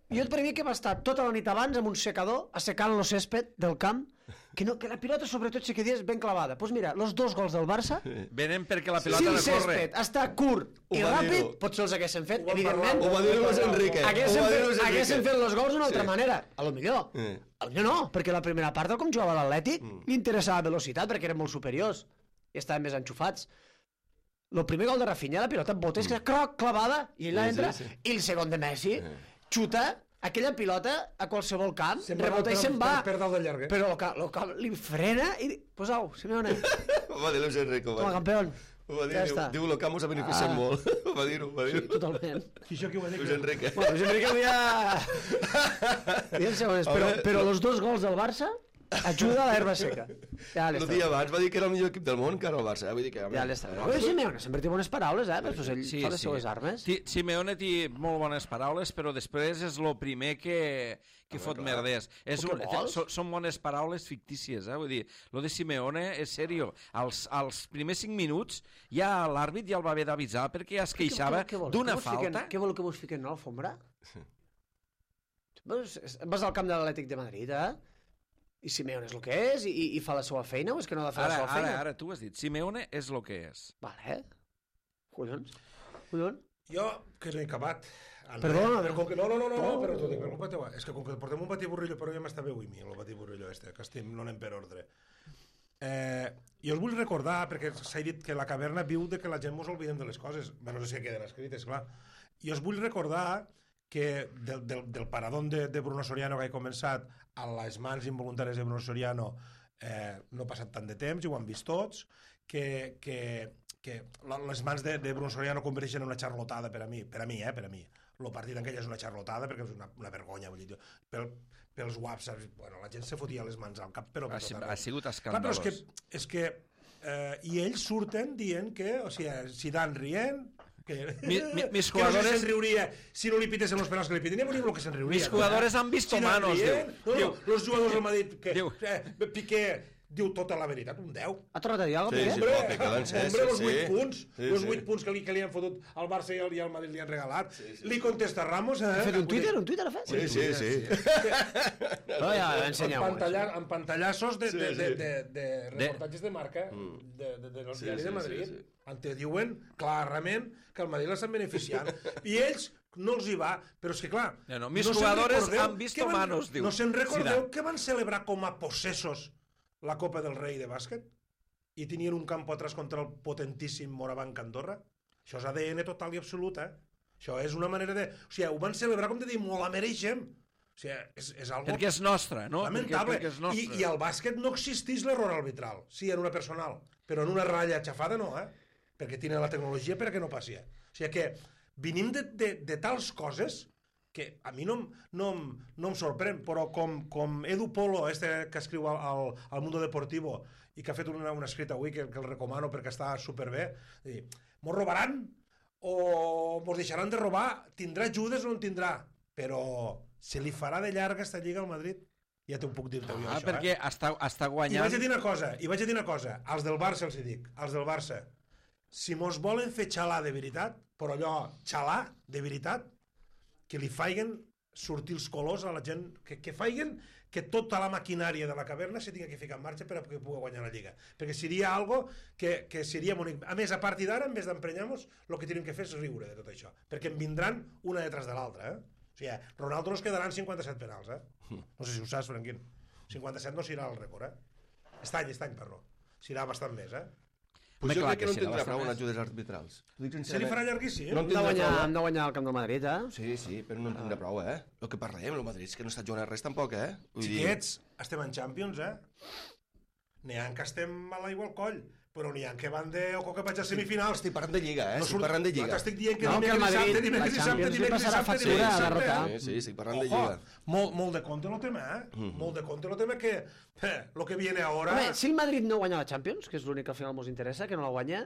[SPEAKER 5] Jo per mi que va estar tota la nit abans amb un secador assecant el césped del camp, que la pilota sobretot sí que dius ben clavada. Doncs mira, els 2 gols del Barça...
[SPEAKER 1] Venen perquè la pilota
[SPEAKER 5] no corre.
[SPEAKER 1] Si el
[SPEAKER 5] cèsped està curt i ràpid, potser els haguessin fet, evidentment.
[SPEAKER 2] Ho va dir Luis Enrique.
[SPEAKER 5] Haguessin fet els gols d'una altra manera. A lo millor. A lo millor no, perquè la primera part, com jugava l'Atlètic, li interessava velocitat perquè eren molt superiors i estaven més enxufats. El primer gol de Rafinha, la pilota botes, croc, clavada, i ella entra, i el segon de Messi... xuta aquella pilota a qualsevol camp, rebota i se'n va. Però el camp li frena i... Pues au, Simeone.
[SPEAKER 2] Ho va dir Luis Enrique.
[SPEAKER 5] Com a campeón.
[SPEAKER 2] Ho va dir, diu, el camp us ha beneficiat molt. Ho va dir-ho.
[SPEAKER 5] Sí, totalment.
[SPEAKER 3] Això qui ho va dir?
[SPEAKER 2] Luis Enrique.
[SPEAKER 5] Bueno, Luis Enrique però els 2 gols del Barça ajuda a l'herba seca.
[SPEAKER 2] El dia abans va dir que era el millor equip del món, que era el Barça. Vull dir que...
[SPEAKER 5] Ja l'està. Simeone sempre té bones paraules, però ell fa les seues armes.
[SPEAKER 1] Simeone té molt bones paraules, però després és el primer que fot merders. Són bones paraules fictícies, vull dir, lo de Simeone és serio. Als primers 5 minuts ja l'àrbit ja el va haver d'avisar perquè ja es queixava d'una falta.
[SPEAKER 5] Què vol que vos fiquen a l'alfombra? Vas al camp de l'Atlètic de Madrid, i Simeone és el que és, i fa la seva feina, o és que no ha de fer la seva feina?
[SPEAKER 1] Ara, tu has dit, Simeone és el que és.
[SPEAKER 5] Vale. Collons.
[SPEAKER 3] Jo, que no he acabat.
[SPEAKER 5] Perdona.
[SPEAKER 3] No, però t'ho dic, per culpa teva. És que com que portem un batiburrillo, però ja m'està bé avui mi, el batiburrillo que no anem per ordre. Jo us vull recordar, perquè s'ha dit que la caverna viu de que la gent mos oblidem de les coses, no sé si queden escrites, clar. Jo us vull recordar que del paradón de Bruno Soriano que ha començat a les mans involuntàries de Bruno Soriano no ha passat tant de temps, i ho han vist tots, que les mans de Bruno Soriano converteixen en una xarlotada per a mi. El partit en aquell és una xarlotada perquè és una vergonya, vull dir, pels whatsapps, bueno, la gent se fotia les mans al cap, però
[SPEAKER 1] ha sigut escandalós.
[SPEAKER 3] Clar, però és que i ells surten dient que, o sigui, Zidane rient,
[SPEAKER 1] mis jugadores
[SPEAKER 3] que no se'n riuria si no li pitessin els penals que li piten, ja venim el que se'n riuria.
[SPEAKER 1] Mis jugadores han visto manos,
[SPEAKER 3] diu. Els jugadors del Madrid, Piqué diu tota la veritat, un 10.
[SPEAKER 5] Ha tornat a dir alguna cosa?
[SPEAKER 3] Hombre, els 8 punts. Els 8 punts que li han fotut al Barça i al Madrid li han regalat. Li contesta Ramos.
[SPEAKER 5] Ha fet un Twitter? Un Twitter ha fet?
[SPEAKER 2] Sí.
[SPEAKER 3] Amb pantallassos de reportatges de marca del diari de Madrid. Te diuen clarament que el Madrid l'estan beneficiant. I ells no els hi va, però és que clar...
[SPEAKER 1] Mis jugadores han visto manos, diu.
[SPEAKER 3] No se'n recordeu que van celebrar com a possessos la Copa del Rei de bàsquet i tenien un camp atrás contra el potentíssim Morabanc Andorra? Això és ADN total i absolut, Això és una manera de... O sigui, ho van celebrar com de dir, molt la mereixem. O sigui, és algo...
[SPEAKER 1] Perquè és nostre, no?
[SPEAKER 3] Lamentable.
[SPEAKER 1] Perquè és nostre.
[SPEAKER 3] I al bàsquet no existeix l'error arbitral. Sí, en una personal, però en una ratlla xafada no, perquè tiene la tecnologia perquè no passi. O sigui que venim de tals coses que a mi no em sorprèn, però com Edu Polo, que escriu al Mundo Deportivo i que ha fet un escrit avui que el recomano perquè està superbé, mos robaran o mos deixaran de robar, tindrà ajudes o no en tindrà, però se li farà de llarga esta lliga al Madrid. Ja t'ho puc dir-te jo, això.
[SPEAKER 1] Perquè està guanyant...
[SPEAKER 3] I vaig a dir una cosa, als del Barça els dic, als del Barça, si mos volen fer xalar de veritat, però allò, xalar de veritat, que li faiguen sortir els colors a la gent, que faiguen que tota la maquinària de la caverna se tingui que ficar en marxa per a que pugui guanyar la Lliga. Perquè seria algo que seria bonic. A més, a partir d'ara, en vez d'emprenyar-nos, el que tenim que fer és riure de tot això. Perquè en vindran una detrás de l'altra, O sigui, Ronaldo nos quedaran 57 penals, No sé si ho saps, Franquín. 57 no serà el rècord, Aquest any, perdó. Serà bastant més,
[SPEAKER 2] Pues jo crec que no tindrà prou en ajudes arbitrals.
[SPEAKER 3] Se li farà llarguíssim.
[SPEAKER 5] Hem de guanyar el Camp del Madrid,
[SPEAKER 2] Sí, però no en tindrà prou, El que parlem, el Madrid és que no està jugant res tampoc,
[SPEAKER 3] Xiquets, estem en Champions, N'hi ha que estem a l'aigua al coll, però n'hi ha que van o que vaig a semifinals.
[SPEAKER 2] Estic parlant de Lliga, Estic parlant de Lliga.
[SPEAKER 3] T'estic dient que dimecres dissabte.
[SPEAKER 2] Sí, estic parlant de Lliga.
[SPEAKER 3] Molt de compte el tema, Molt de compte el tema que lo que viene ahora...
[SPEAKER 5] Home, si el Madrid no guanya la Champions, que és l'únic que al final mos interessa, que no la guanya,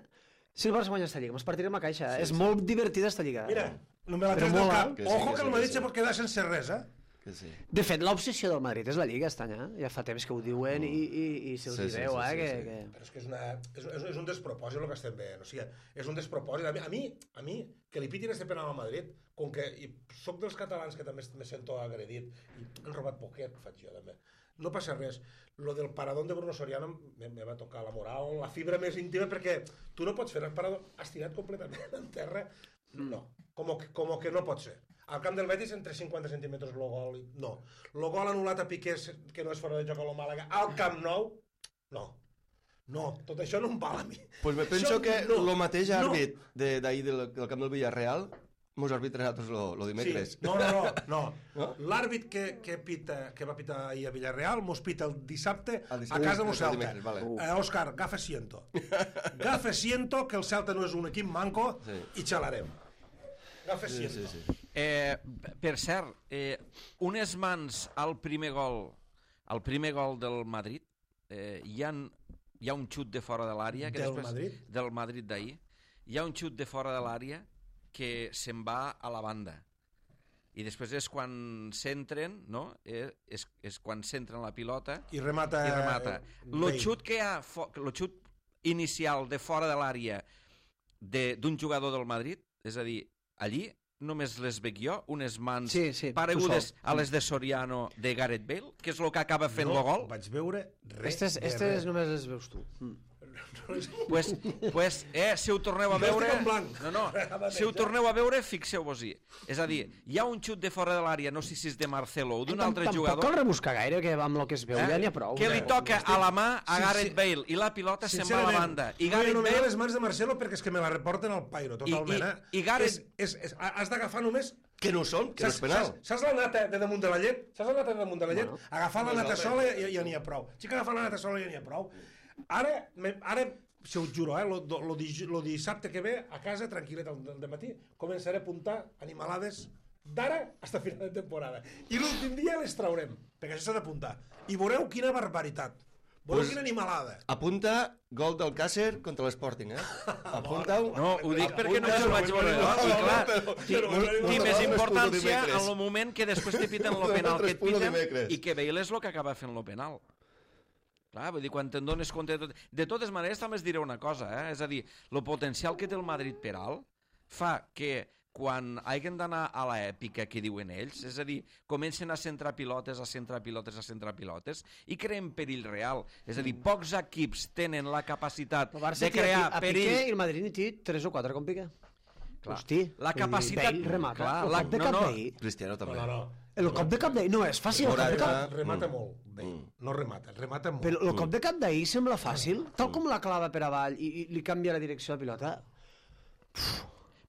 [SPEAKER 5] si el Barça guanya esta Lliga, mos partirem a caixa. És molt divertida esta Lliga.
[SPEAKER 3] Mira, no me la tens del cap. Ojo que el Madrid se pot quedar sense res,
[SPEAKER 2] Sí.
[SPEAKER 5] De fet, l'obsessió del Madrid és la Lliga aquest any, Ja fa temps que ho diuen i se'ls veu,
[SPEAKER 3] Però és que és un despropòsit el que estem veient, o sigui, és un despropòsit. A mi, que li pitin este penal al Madrid, com que soc dels catalans que també me sento agredit, i han robat poquet, faig jo també. No passa res. Lo del paradón de Bruno Soriano me va tocar la moral, la fibra més íntima, perquè tu no pots fer el paradón estirat completament en terra. No, com que no pot ser. Al camp del Betis, entre 50 centímetres el gol. No. El gol anul·lat a Piqué, que no és fora de joc a lo Màlaga, al Camp Nou, no. No, tot això no em val a mi.
[SPEAKER 2] Pues me penso que el mateix àrbit d'ahir del camp del Villarreal mos arbitra nosaltres lo dimecres.
[SPEAKER 3] Sí. No. L'àrbit que va pitar ahir a Villarreal mos pita el dissabte a casa del Celta. Òscar, gafe siento. Gafe siento que el Celta no és un equip manco i xalarem. Gafe siento.
[SPEAKER 2] Sí.
[SPEAKER 1] Per cert, unes mans al primer gol del Madrid, hi ha un xut de fora de l'àrea del Madrid d'ahir, hi ha un xut de fora de l'àrea que se'n va a la banda i després és quan centren, no? És quan centren la pilota
[SPEAKER 3] i remata.
[SPEAKER 1] El xut que hi ha, el xut inicial de fora de l'àrea d'un jugador del Madrid, és a dir, allí només les veig jo, unes mans paregudes a les de Soriano de Gareth Bale, que és el que acaba fent el gol.
[SPEAKER 3] No vaig veure res.
[SPEAKER 5] Estes només les veus tu.
[SPEAKER 1] Pues, si ho torneu a veure... Si ho torneu a veure, fixeu-vos-hi. És a dir, hi ha un xut de fora de l'àrea, no sé si és de Marcelo o d'un altre jugador...
[SPEAKER 5] Tampoc cal rebuscar gaire, que amb el que es veu ja n'hi ha prou.
[SPEAKER 1] Que li toca a la mà a Gareth Bale i la pilota se'n va a la banda. I Gareth Bale...
[SPEAKER 3] les mans de Marcelo perquè és que me la reporten al pairo, totalment.
[SPEAKER 1] I Gareth...
[SPEAKER 3] Has d'agafar només...
[SPEAKER 2] Que no són, que no és penal.
[SPEAKER 3] Saps la nata de damunt de la llet? Agafar la nata sola ja n'hi ha prou. Sí que agafar la nata sola ja n'hi ha prou. Ara, si us juro, lo dissabte que ve, a casa, tranquil·let al matí, començaré a apuntar animalades d'ara fins a final de temporada. I l'últim dia les traurem, perquè això s'ha d'apuntar. I veureu quina barbaritat. Veureu quina animalada.
[SPEAKER 2] Apunta gol del Càcer contra l'Sporting, Apunta-ho.
[SPEAKER 1] No, ho dic perquè no ho vaig veure. I clar, té més importància en el moment que després te piten el penal que et piten i que Bale és el que acaba fent el penal. Clar, vull dir, quan te'n dones compte de tot... De totes maneres, també es diré una cosa, és a dir, el potencial que té el Madrid per alt fa que quan hagin d'anar a l'èpica que diuen ells, és a dir, comencen a centrar pilotes i creen perill real. És a dir, pocs equips tenen la capacitat de crear perill...
[SPEAKER 5] A Piqué i el Madrid n'hi té 3 o 4 com Piqué. Hosti,
[SPEAKER 1] la capacitat...
[SPEAKER 5] Bale remata. El cop de cap d'ahir...
[SPEAKER 2] Cristiano també.
[SPEAKER 5] El cop de cap d'ahir no és fàcil.
[SPEAKER 3] Remata molt. No remata molt.
[SPEAKER 5] Però el cop de cap d'ahir sembla fàcil. Tal com la clava per avall i li canvia la direcció de pilota...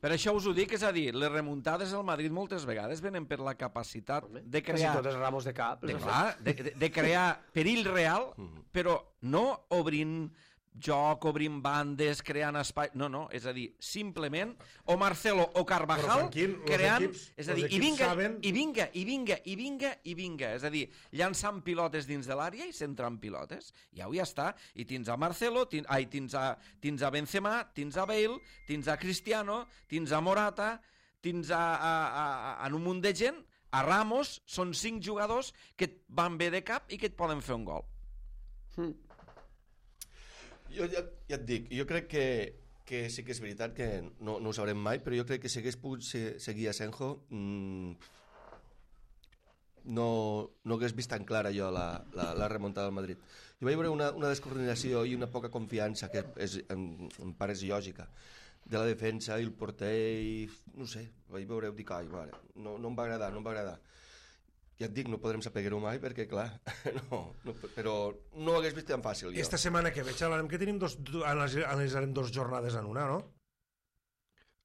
[SPEAKER 1] Per això us ho dic, és a dir, les remuntades al Madrid moltes vegades venen per la capacitat de crear...
[SPEAKER 5] Quasi totes ramos de cap.
[SPEAKER 1] De crear perill real, però no obrint joc, obrint bandes, creant espai... No, és a dir, simplement o Marcelo o Carvajal creant... És a dir, i vinga, és a dir, llançant pilotes dins de l'àrea i centrant pilotes. Ja està. I tens a Marcelo, tens a Benzema, tens a Bale, tens a Cristiano, tens a Morata, tens a un munt de gent, a Ramos, són 5 jugadors que et van bé de cap i que et poden fer un gol.
[SPEAKER 2] Jo ja et dic, jo crec que sí que és veritat que no ho sabrem mai, però jo crec que si hagués pogut seguir a Senjo no hagués vist tan clara jo la remuntada del Madrid. Jo vaig veure una descoordinació i una poca confiança, que em pareix lògica, de la defensa i el porter i no sé, vaig veure, dic, ai, mare, no em va agradar. Ja et dic, no podrem saber-ho mai perquè, clar, però no ho hagués vist tan fàcil.
[SPEAKER 3] Esta setmana que veig, xalarem que tenim analitzarem 2 jornades en una, no?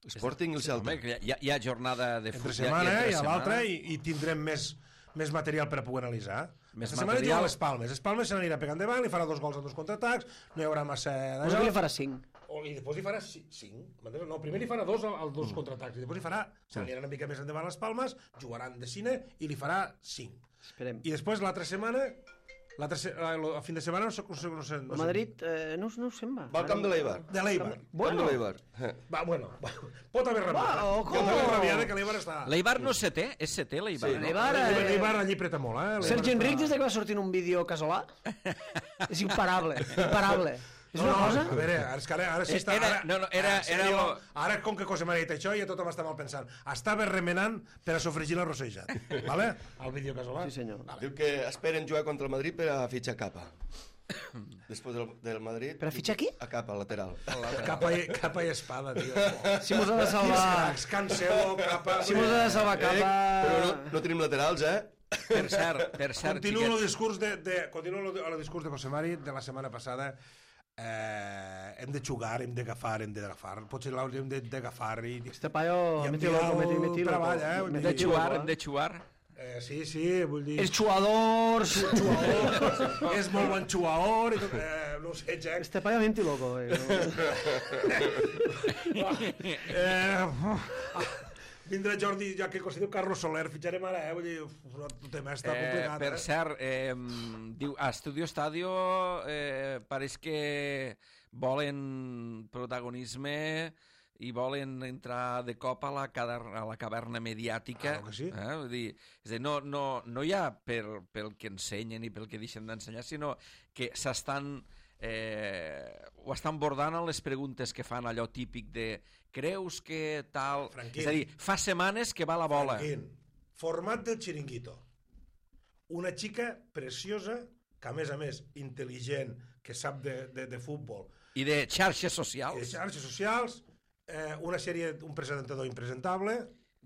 [SPEAKER 2] Sporting i el Celta.
[SPEAKER 1] Hi ha jornada de futbol.
[SPEAKER 3] Entre setmana i a l'altra i tindrem més material per a poder analitzar. Esta setmana hi ha les Palmes. Les Palmes se n'anirà pegant davant, li farà 2 gols en 2 contraatacs, no hi haurà massa...
[SPEAKER 5] Doncs li farà 5.
[SPEAKER 3] I després li farà 5. No, primer li farà 2 als 2 contraatacs, i després li farà... Se n'anirà una mica més endavant les Palmes, jugaran de cine i li farà 5.
[SPEAKER 5] Esperem.
[SPEAKER 3] I després l'altra setmana... el fin de setmana no sé...
[SPEAKER 5] El Madrid no ho sembla.
[SPEAKER 2] Va al camp de l'Eibar.
[SPEAKER 3] De l'Eibar.
[SPEAKER 2] Bueno.
[SPEAKER 3] Pot haver rabiat. Pot haver rabiat que l'Eibar està...
[SPEAKER 1] L'Eibar no és setè? És setè, l'Eibar?
[SPEAKER 5] Sí,
[SPEAKER 3] l'Eibar allí preta molt, eh?
[SPEAKER 5] Sergi Enric, des que va sortir en un vídeo casolà, és imparable. És una cosa...
[SPEAKER 3] A veure, ara sí està... Ara, com que cosa m'ha dit això, ja tothom està mal pensant. Estava remenant per a sofregir la rosejat. Vale? El vídeo casolà.
[SPEAKER 5] Sí, senyor.
[SPEAKER 2] Diu que esperen jugar contra el Madrid per a fitxar Capa. Després del Madrid...
[SPEAKER 5] Per a fitxar qui?
[SPEAKER 2] A Capa, lateral.
[SPEAKER 3] Capa i espada, tio.
[SPEAKER 5] Si mos ha de salvar...
[SPEAKER 3] Cancelo, Capa...
[SPEAKER 5] Si mos ha de salvar Capa...
[SPEAKER 2] Però no tenim laterals, eh?
[SPEAKER 1] Per cert,
[SPEAKER 3] continuo el discurs de José Mari de la setmana passada. Hem de jugar, hem d'agafar, potser l'hauríem d'agafar i...
[SPEAKER 5] Este paio meti loco.
[SPEAKER 1] Hem de jugar.
[SPEAKER 3] Sí, vull dir...
[SPEAKER 5] Els jugadors!
[SPEAKER 3] És molt bon jugador i tot... No sé, Jack.
[SPEAKER 5] Este paio meti loco.
[SPEAKER 3] Vindrà Jordi, ja que considero Carlos Soler, fitxarem ara, vull dir, el tema està complicat.
[SPEAKER 1] Per cert, diu, a Studio Estadio pareix que volen protagonisme i volen entrar de cop a la caverna mediàtica.
[SPEAKER 3] Claro que sí.
[SPEAKER 1] Vull dir, és a dir, no hi ha pel que ensenyen i pel que deixen d'ensenyar, sinó que ho estan bordant en les preguntes que fan, allò típic de creus que tal...
[SPEAKER 3] Franquín.
[SPEAKER 1] És a dir, fa setmanes que va la bola.
[SPEAKER 3] Franquín. Format del Chiringuito. Una xica preciosa, que a més, intel·ligent, que sap de futbol.
[SPEAKER 1] I de xarxes socials.
[SPEAKER 3] I de xarxes socials, un presentador impresentable,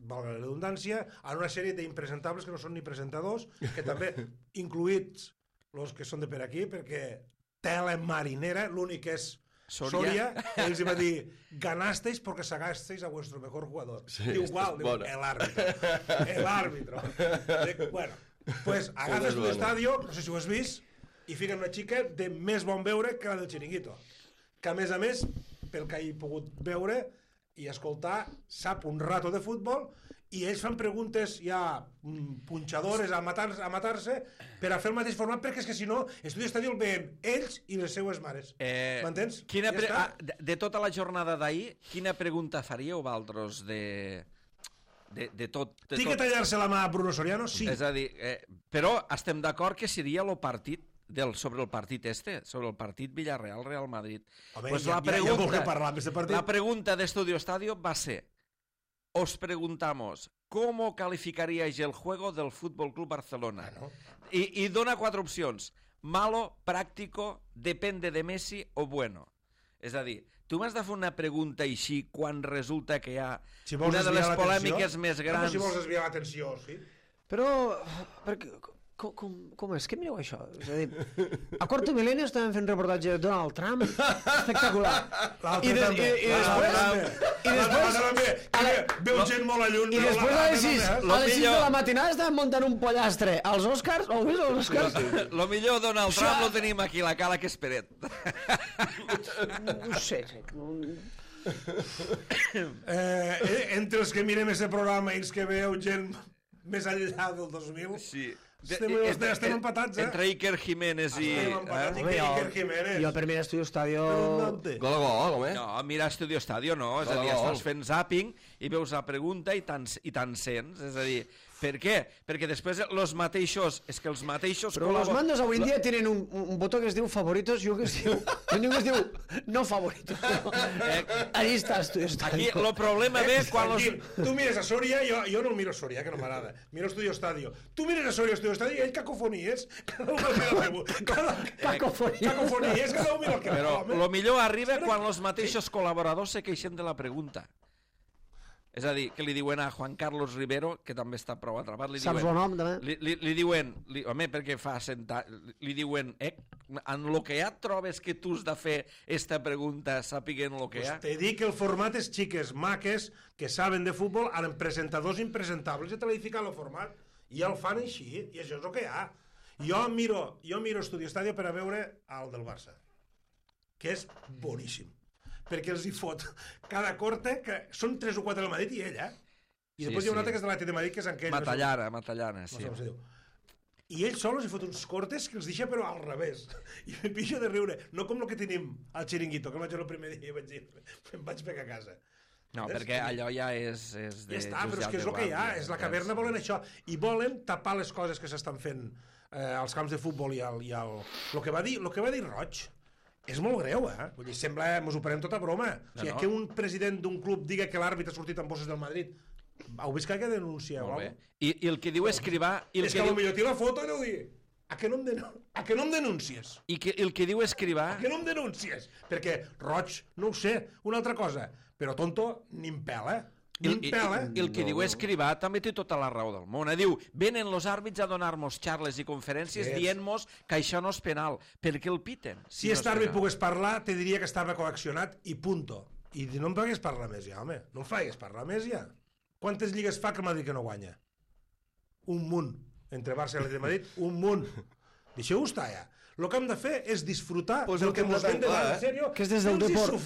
[SPEAKER 3] valga la redundància, en una sèrie d'impresentables que no són ni presentadors, que també, incluïts els que són de per aquí, perquè tela marinera, l'únic és Soria, ells va dir ganasteis porque sacasteis a vuestro mejor jugador. Sí, igual, el árbitro. Bueno, pues agafes tu estadio, no sé si ho has vist, i fiquen una xica de més bon veure que la del Chiringuito, que a més, pel que he pogut veure i escoltar, sap un rato de futbol i ells fan preguntes ja punxadores a matar-se per a fer el mateix format, perquè és que si no Estudi Estadio el veiem ells i les seues mares. M'entens?
[SPEAKER 1] De tota la jornada d'ahir, quina pregunta faríeu vosaltres de tot?
[SPEAKER 3] Tinc que tallar-se la mà a Bruno Soriano? Sí.
[SPEAKER 1] És a dir, però estem d'acord que seria el partit sobre el partit sobre el partit Villarreal-Real Madrid.
[SPEAKER 3] Home, pues ja vol que parlar d'aquest partit.
[SPEAKER 1] La pregunta d'Estudio Estadio va ser: os preguntamos, ¿cómo calificaríais el juego del Fútbol Club Barcelona?
[SPEAKER 3] Bueno.
[SPEAKER 1] Y dona 4 opcions. Malo, práctico, depende de Messi o bueno. És a dir, tu m'has de fer una pregunta així quan resulta que hi ha una de les polèmiques més grans...
[SPEAKER 3] Si vols desviar l'atenció, sí.
[SPEAKER 5] Però Com és? Què mireu això? És a dir, a Quarto Milenio estaven fent reportatge de Donald Trump, espectacular. I després...
[SPEAKER 3] Veu gent molt a lluny.
[SPEAKER 5] I després a les 6 de la matinada estaven muntant un pollastre als Oscars, o vist els Oscars?
[SPEAKER 1] Lo millor Donald Trump lo tenim aquí, la cala que és Peret.
[SPEAKER 5] No sé.
[SPEAKER 3] Entre els que mirem aquest programa i els que veu gent més enllà del 2000...
[SPEAKER 1] Sí.
[SPEAKER 3] Estem empatats,
[SPEAKER 1] Entre Iker Jiménez i...
[SPEAKER 3] Estem empatats, Iker Jiménez.
[SPEAKER 5] Jo per mirar Estudio Estadio...
[SPEAKER 2] Gol a gol, home.
[SPEAKER 1] No, mira Estudio Estadio no, és a dir, estàs fent zapping i veus la pregunta i te'n sents, és a dir... Per què? Perquè després els mateixos... És que els mateixos...
[SPEAKER 5] Però los mandos avui en dia tenen un botó que es diu favoritos i un que es diu no favoritos. Allí està Estudio Estadio.
[SPEAKER 1] Aquí el problema ve quan los...
[SPEAKER 3] Tu mires a Soria, jo no miro Soria, que no m'agrada. Miro Estudio Estadio. Tu mires a Soria, Estudio Estadio, i ell cacofonies. Cada un mira el que... Cacofonies, cada un mira el que...
[SPEAKER 1] Però el millor arriba quan els mateixos col·laboradors se queixen de la pregunta. És a dir, que li diuen a Juan Carlos Rivero, que també està prou atrapat,
[SPEAKER 5] saps el nom, també?
[SPEAKER 1] Li diuen, home, perquè fa li diuen, en lo que ja et trobes que tu has de fer esta pregunta, sàpiguen lo que hi ha?
[SPEAKER 3] Te dic que el format és xiques, maques, que saben de futbol, amb presentadors impresentables, i te l'he ficat el format, i el fan així, i això és el que hi ha. Jo miro Estudio Estadio per a veure el del Barça, que és boníssim. Perquè els hi fot cada corte, que són 3 o 4 del Madrid i ell, I després hi ha un altre que és de l'Atlètic de Madrid, que és aquell...
[SPEAKER 1] Matallana, sí.
[SPEAKER 3] No sé com se diu. I ell sol els hi fot uns cortes que els deixa però al revés. I me pixo de riure. No com el que tenim al Chiringuito, que el vaig el primer dia i vaig dir, em vaig pegar a casa.
[SPEAKER 1] No, perquè allò ja és de...
[SPEAKER 3] Ja està, però és que és el que hi ha. És la caverna, volen això. I volen tapar les coses que s'estan fent als camps de futbol i el que va dir Roig. És molt greu, Vull dir, sembla, mos ho prenem tota broma. O sigui, que un president d'un club diga que l'àrbitre ha sortit amb bosses del Madrid, heu vist que hi ha denúncia?
[SPEAKER 1] Molt bé. I el que diu Escrivà...
[SPEAKER 3] És que potser té la foto i deu dir a què no em denúncies?
[SPEAKER 1] I el que diu Escrivà...
[SPEAKER 3] A què no em denúncies? Perquè Roig, no ho sé, una altra cosa, però tonto ni em pela,
[SPEAKER 1] El que diu Escrivà també té tota la raó del món. Diu, venen els àrbits a donar-nos xarles i conferències dient-nos que això no és penal. Per què el piten?
[SPEAKER 3] Si aquest àrbit pogués parlar, te diria que estava coaccionat i punto. I no em fagués parlar més ja, home. No em fagués parlar més ja. Quantes lligues fa que el Madrid que no guanya? Un munt. Entre Barça i l'Atlètic de Madrid, un munt. Deixeu-ho estar ja. El que hem de fer és disfrutar del que ens ven davant, en sèrio.
[SPEAKER 5] Que és des del Depor.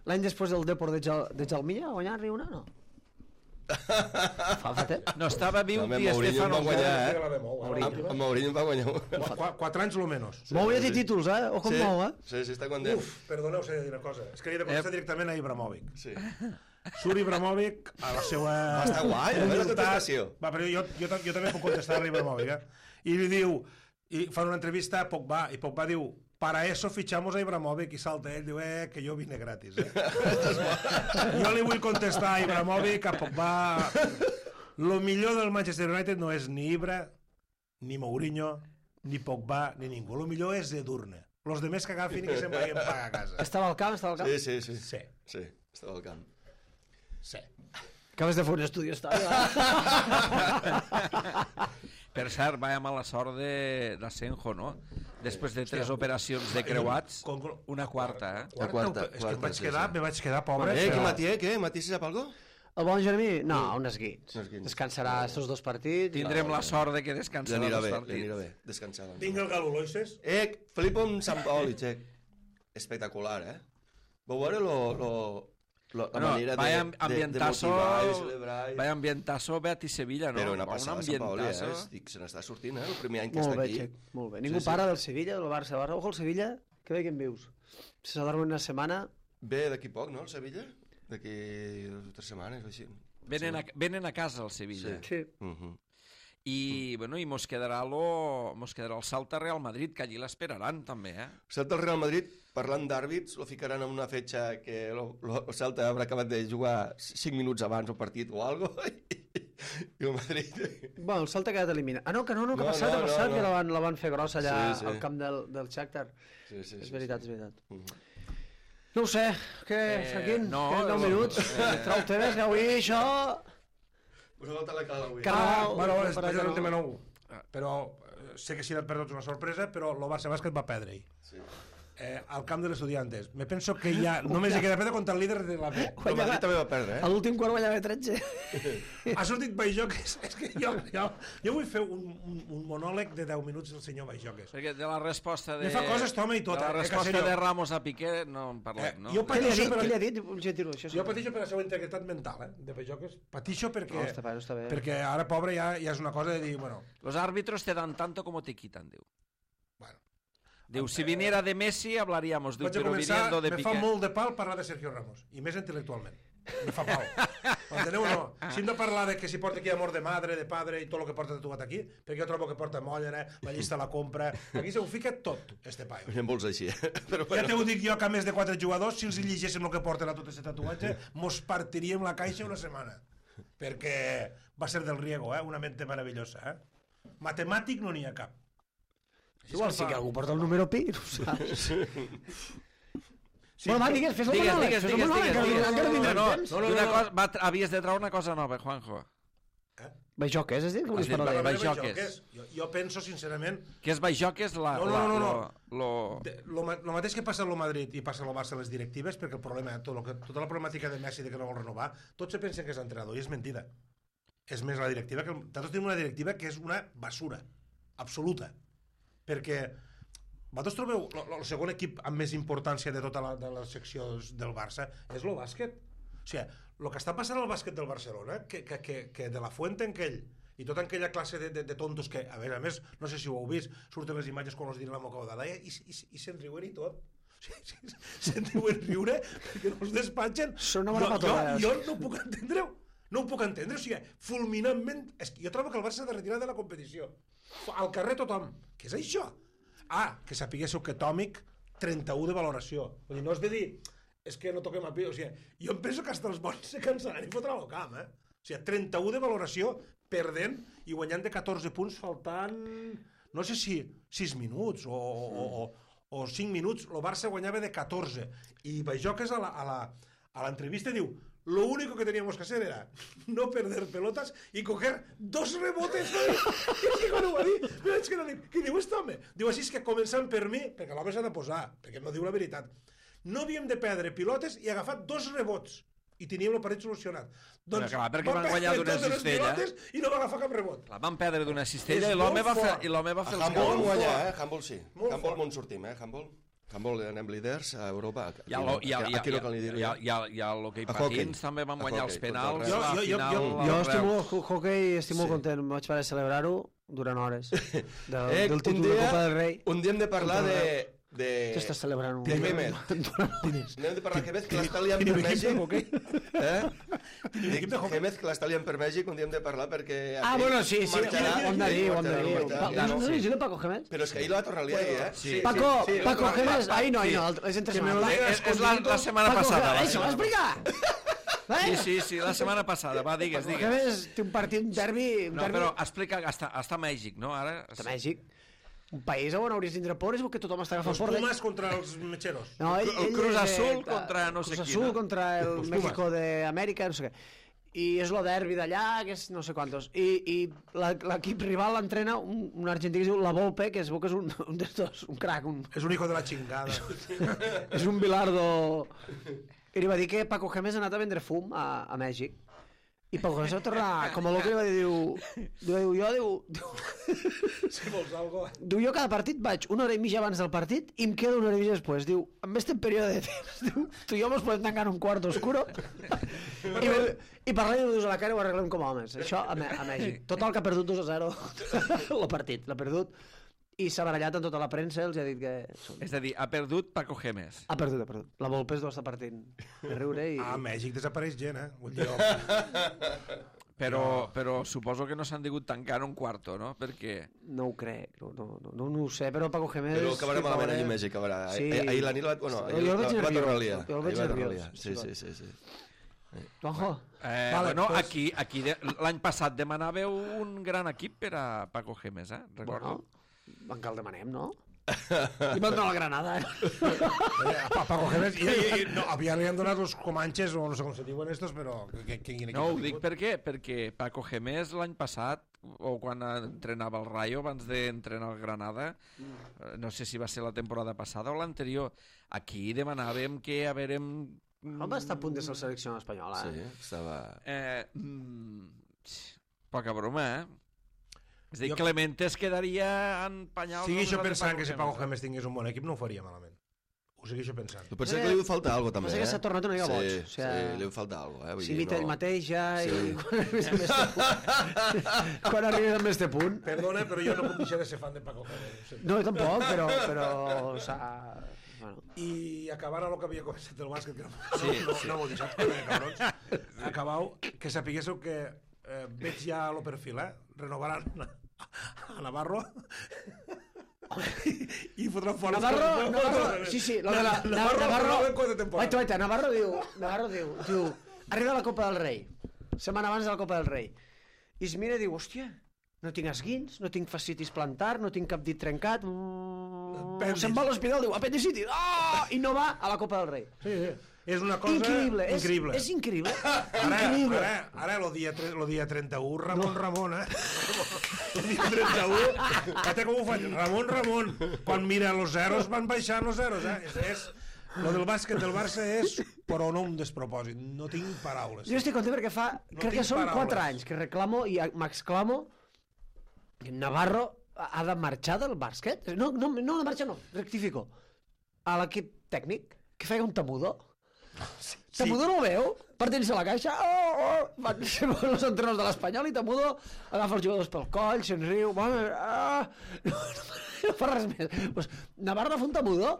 [SPEAKER 5] L'any després del Depor de Jalmilla, a guanyar-hi una, no? Fa temps.
[SPEAKER 1] No estava viu Di Stefano.
[SPEAKER 2] Amb Mourinho va guanyar
[SPEAKER 3] 4 anys o menys.
[SPEAKER 5] Mou ja té títols, O com mou,
[SPEAKER 2] Sí, està content.
[SPEAKER 3] Perdoneu, s'ha de dir una cosa. És que li he de contestar directament a Ibrahimovic. Sí. Surt Ibrahimovic a la seva...
[SPEAKER 2] Està guai, a veure la contestació.
[SPEAKER 3] Va, però jo també puc contestar a Ibrahimovic, I li diu, i fan una entrevista a Pogba, i Pogba diu, para eso fichamos a Ibrahimovic, i salta ell, diu, que jo vine gratis, Jo li vull contestar a Ibrahimovic, a Pogba... Lo millor del Manchester United no és ni Ibra, ni Mourinho, ni Pogba, ni ningú. Lo millor és Edurne. Los demés que agafin i que se'n vagin pagar a casa.
[SPEAKER 5] Estava al camp?
[SPEAKER 2] Sí, estava al camp.
[SPEAKER 3] Sí.
[SPEAKER 5] Acabes de fer un estudi,
[SPEAKER 1] Per cert, vaya mala sort d'Asenjo, no? Després de 3 operacions de creuats, una quarta,
[SPEAKER 2] La quarta.
[SPEAKER 3] És que me vaig quedar pobre.
[SPEAKER 2] Què, Matié, què? Matié, sap algo?
[SPEAKER 5] El bon Jeremí? No, unes guits. Descansarà estos 2 partits.
[SPEAKER 1] Tindrem la sort de que descansarà 2 partits.
[SPEAKER 2] L'anirà bé, descansar.
[SPEAKER 3] Vinga el Galo Loises.
[SPEAKER 2] Flipo amb Sant Paoli, espectacular, Vau veure la manera de motivar i celebrar.
[SPEAKER 1] Vaya ambientazo Betis Sevilla, no?
[SPEAKER 2] Però una passada Sant Paoli, se n'està sortint, el primer any que està aquí.
[SPEAKER 5] Molt bé, ningú para del Sevilla, del Barça. Ojo, el Sevilla, que bé que en vius. Se s'adorma una setmana.
[SPEAKER 2] Ve d'aquí poc, no, el Sevilla? D'aquí 2 o 3 setmanes, o així.
[SPEAKER 1] Venen a casa el Sevilla.
[SPEAKER 5] Sí.
[SPEAKER 1] I mos quedarà el Salta Real Madrid, que allí l'esperaran també,
[SPEAKER 2] Salta el Real Madrid, parlant d'àrbits, lo ficaran en una fetxa que el Salta haurà acabat de jugar 5 minuts abans el partit o algo i el Madrid...
[SPEAKER 5] Bueno, el Salta ha quedat eliminat. No, que ha passat, que la van fer grossa allà al camp del Shakhtar.
[SPEAKER 2] Sí.
[SPEAKER 5] És veritat. No ho sé, què, Franquín? 9 minuts, trau temes, que avui això...
[SPEAKER 2] Us ha faltat la cala avui.
[SPEAKER 3] Bueno, és un tema nou, però sé que serà per tots una sorpresa, però el Barça Bàsquet va perdre-hi. Sí. Al camp de l'Estudiantes. Me penso que ja només hi queda perdre contra el líder de la B.
[SPEAKER 2] El Madrid també va perdre,
[SPEAKER 5] A l'últim quart guanyava 13.
[SPEAKER 3] Ha sortit Baixoques. És que jo vull fer un monòleg de 10 minuts del senyor Baixoques.
[SPEAKER 1] Perquè de la resposta de...
[SPEAKER 3] Me fa coses, toma i tot.
[SPEAKER 1] De la resposta de Ramos a Piqué no en parlem, no?
[SPEAKER 5] Què li ha dit?
[SPEAKER 3] Jo patixo per la seva integritat mental, de Baixoques. Patixo perquè...
[SPEAKER 5] No, està bé.
[SPEAKER 3] Perquè ara, pobre, ja és una cosa de dir, bueno...
[SPEAKER 1] Los árbitros te dan tanto como te quitan, diu.
[SPEAKER 3] Bueno.
[SPEAKER 1] Diu, si viniera de Messi hablaríamos, diu, però
[SPEAKER 3] viniendo
[SPEAKER 1] de Piqué.
[SPEAKER 3] Me fa molt de pal parlar de Sergio Ramos, i més intel·lectualment. Me fa pal. Enteneu o no? Si hem de parlar de que si porta aquí amor de madre, de padre i tot el que porta tatuat aquí, perquè jo trobo que porta molla, la llista la compra... Aquí se ho fica tot, este paio.
[SPEAKER 2] En vols així,
[SPEAKER 3] Però ja te ho dic jo, que a més de 4 jugadors, si els llegíssim el que porten a tot aquest tatuatge, mos partiríem la caixa una setmana. Perquè va ser del Riego, una mente meravellosa. Matemàtic no n'hi ha cap.
[SPEAKER 5] Igual sí que algú porta el número pi, no ho saps. Bueno, va, digues, fes el monòleg.
[SPEAKER 1] No, havies de treure una cosa nova, Juanjo.
[SPEAKER 5] Baixoques, has dit? Que volies parlar de
[SPEAKER 1] Baixoques.
[SPEAKER 3] Jo penso, sincerament...
[SPEAKER 1] Que és Baixoques
[SPEAKER 3] No. Lo mateix que passa a lo Madrid i passa a lo Barça a les directives, perquè el problema, tota la problemàtica de Messi de que no vol renovar, tots se pensen que és entrenador i és mentida. És més la directiva, que nosaltres tenim una directiva que és una basura absoluta. Perquè vosaltres trobeu el segon equip amb més importància de tota les seccions del Barça és el bàsquet. O sigui, el que està passant al bàsquet del Barcelona, que de la Fuente en aquell i tota aquella classe de tontos que, a més, no sé si ho heu vist, surten les imatges quan els diuen la moca d'Alaia i se'n riuen i tot. Se'n riuen riure perquè no els despatxen.
[SPEAKER 5] Són una bona patolada.
[SPEAKER 3] Jo no ho puc entendre-ho. No ho puc entendre, o sigui, fulminantment... Jo trobo que el Barça s'ha de retirar de la competició. Al carrer tothom. Què és això? Que sapiguéssiu que Tòmic 31 de valoració. Vull dir, no has de dir és que no toquem a pi, o sigui, jo em penso que hasta els bons se cansaran i fotran al camp, O sigui, 31 de valoració perdent i guanyant de 14 punts faltant, no sé si 6 minuts o 5 minuts, el Barça guanyava de 14 i Baixoques a l'entrevista diu: lo único que teníamos que hacer era no perder pelotas y coger 2 rebotes. I quan ho va dir, què diu este home? Diu, així és que començant per mi, perquè l'home s'ha de posar, perquè no diu la veritat, no havíem de perdre pilotes i agafar 2 rebots i teníem el partit solucionat. Doncs
[SPEAKER 1] clar, perquè van guanyar d'una cistella
[SPEAKER 3] i no va agafar cap rebot.
[SPEAKER 1] Van perdre d'una cistella i l'home va fer els
[SPEAKER 2] Handball van guanyar, Handball sí. Handball on sortim, Handball anem líders a Europa.
[SPEAKER 1] I a l'hoquei patins també van guanyar els penals.
[SPEAKER 5] Jo hoquei estic molt content, vaig parar de celebrar-ho durant hores del títol de Copa del Rei.
[SPEAKER 2] Un dia hem de parlar de...
[SPEAKER 5] Què estàs celebrant?
[SPEAKER 2] De Gémez. Anem de parlar Gémez, que l'està liant per Mèxic. Gémez, que l'està liant per Mèxic, un dia hem de parlar perquè...
[SPEAKER 5] bueno, sí, ho hem de dir. No sé si Paco Gémez.
[SPEAKER 2] Però és que ahir la va tornar a liar,
[SPEAKER 5] Paco Gémez, ahir no, és entre setmana.
[SPEAKER 1] És la setmana passada.
[SPEAKER 5] Això, explica!
[SPEAKER 1] Sí, la setmana passada, va, digues.
[SPEAKER 5] Gémez té un partit, un derbi...
[SPEAKER 1] No, però explica, està a Mèxic, no?
[SPEAKER 5] Està a Mèxic. Un país on hauries d'indre por és que tothom està agafant por.
[SPEAKER 3] Els Pumas contra els Mecheros.
[SPEAKER 5] No,
[SPEAKER 1] el Cruz Azul contra no sé qui.
[SPEAKER 5] Cruz Azul contra el México d'Amèrica, no sé què. I és el derbi d'allà, que és no sé quantos. I l'equip rival l'entrena un argentí que es diu La Volpe, que es veu que és un d'estos, un crac.
[SPEAKER 3] És un hijo de la chingada.
[SPEAKER 5] És un bilardo. I li va dir que Paco Gémez ha anat a vendre fum a Mèxic. I Paco Gémez va tornar, com a loco, li va dir,
[SPEAKER 3] Si vols algo...
[SPEAKER 5] Diu, jo cada partit vaig una hora i mitja abans del partit i em quedo una hora i mitja després. Diu, en este període de temps, diu, tu i jo mos podem tancar en un quart oscuro i parlem-nos a la cara i ho arreglem com a homes. Això a Mèxic. Total, que ha perdut 2-0 el partit, l'ha perdut. I s'ha barallat en tota la premsa, els ha dit que...
[SPEAKER 1] És a dir, ha perdut Paco Gémez.
[SPEAKER 5] Ha perdut. La Volpe es deu estar partint de riure i...
[SPEAKER 3] A Mèxic desapareix gent, Vull dir...
[SPEAKER 1] Però suposo que no s'han digut tancar un quarto, no? Perquè...
[SPEAKER 5] No ho crec, no ho sé, però Paco Gémez...
[SPEAKER 2] Però que acabarà malament allà a Mèxic, acabarà. Ahir la nit va tornar a liar.
[SPEAKER 5] Jo el veig nerviós.
[SPEAKER 2] Sí.
[SPEAKER 5] Juanjo.
[SPEAKER 1] Bueno, aquí l'any passat demanàveu un gran equip per a Paco Gémez, recordo.
[SPEAKER 5] Bueno, encara el demanem, no? I van donar la Granada,
[SPEAKER 3] Paco Gémez, li han donat els comanches, o no sé com se diuen estos, però...
[SPEAKER 1] No, ho dic perquè Paco Gémez l'any passat, o quan entrenava el Rayo, abans d'entrenar el Granada, no sé si va ser la temporada passada o l'anterior, aquí demanàvem que a veure...
[SPEAKER 5] Home, està a punt de ser la selecció espanyola.
[SPEAKER 2] Sí, estava...
[SPEAKER 1] Poca broma, És a dir, Clemente es quedaria en penyals...
[SPEAKER 3] Segueixo pensant que si Paco Gémez tingués un bon equip no ho faria malament. Ho segueixo pensant.
[SPEAKER 2] Però pensa que li falta alguna cosa, també,
[SPEAKER 5] que s'ha tornat una mica boig.
[SPEAKER 2] Sí, li falta alguna cosa,
[SPEAKER 5] S'imita ell mateix ja i quan arribes amb este punt...
[SPEAKER 3] Perdona, però jo no puc deixar de ser fan de Paco Gémez.
[SPEAKER 5] No, jo tampoc, però...
[SPEAKER 3] I acabant el que havia començat el bàsquet, que no m'ho deixat, cabrons, acabau, que sapiguéssiu que veig ja el perfil, renovaran a Navarro i fotran fora
[SPEAKER 5] Navarro, sí, Navarro diu arriba la Copa del Rei, setmana abans de la Copa del Rei, i es mira i diu, hòstia, no tinc esguins, no tinc fascitis plantar, no tinc cap dit trencat, se'n va a l'hospital, diu, apendicitis, i no va a la Copa del Rei.
[SPEAKER 3] Sí. És una cosa increïble.
[SPEAKER 5] És increïble.
[SPEAKER 3] Ara el dia 31, Ramon, El dia 31, fíjate com ho faig, Ramon. Quan mira los zeros, van baixant los zeros, Lo del bàsquet del Barça és però no un despropòsit, no tinc paraules.
[SPEAKER 5] Jo estic content perquè crec que són 4 anys que reclamo i m'exclamo que Navarro ha de marxar del bàsquet. No, rectifico. A l'equip tècnic, que feia un Tamudo. Tamudo no ho veu? Partint-se la caixa, van ser els entrenadors de l'Espanyol i Tamudo agafa els jugadors pel coll, se'n riu, no fa res més. Navarro fa un Tamudo,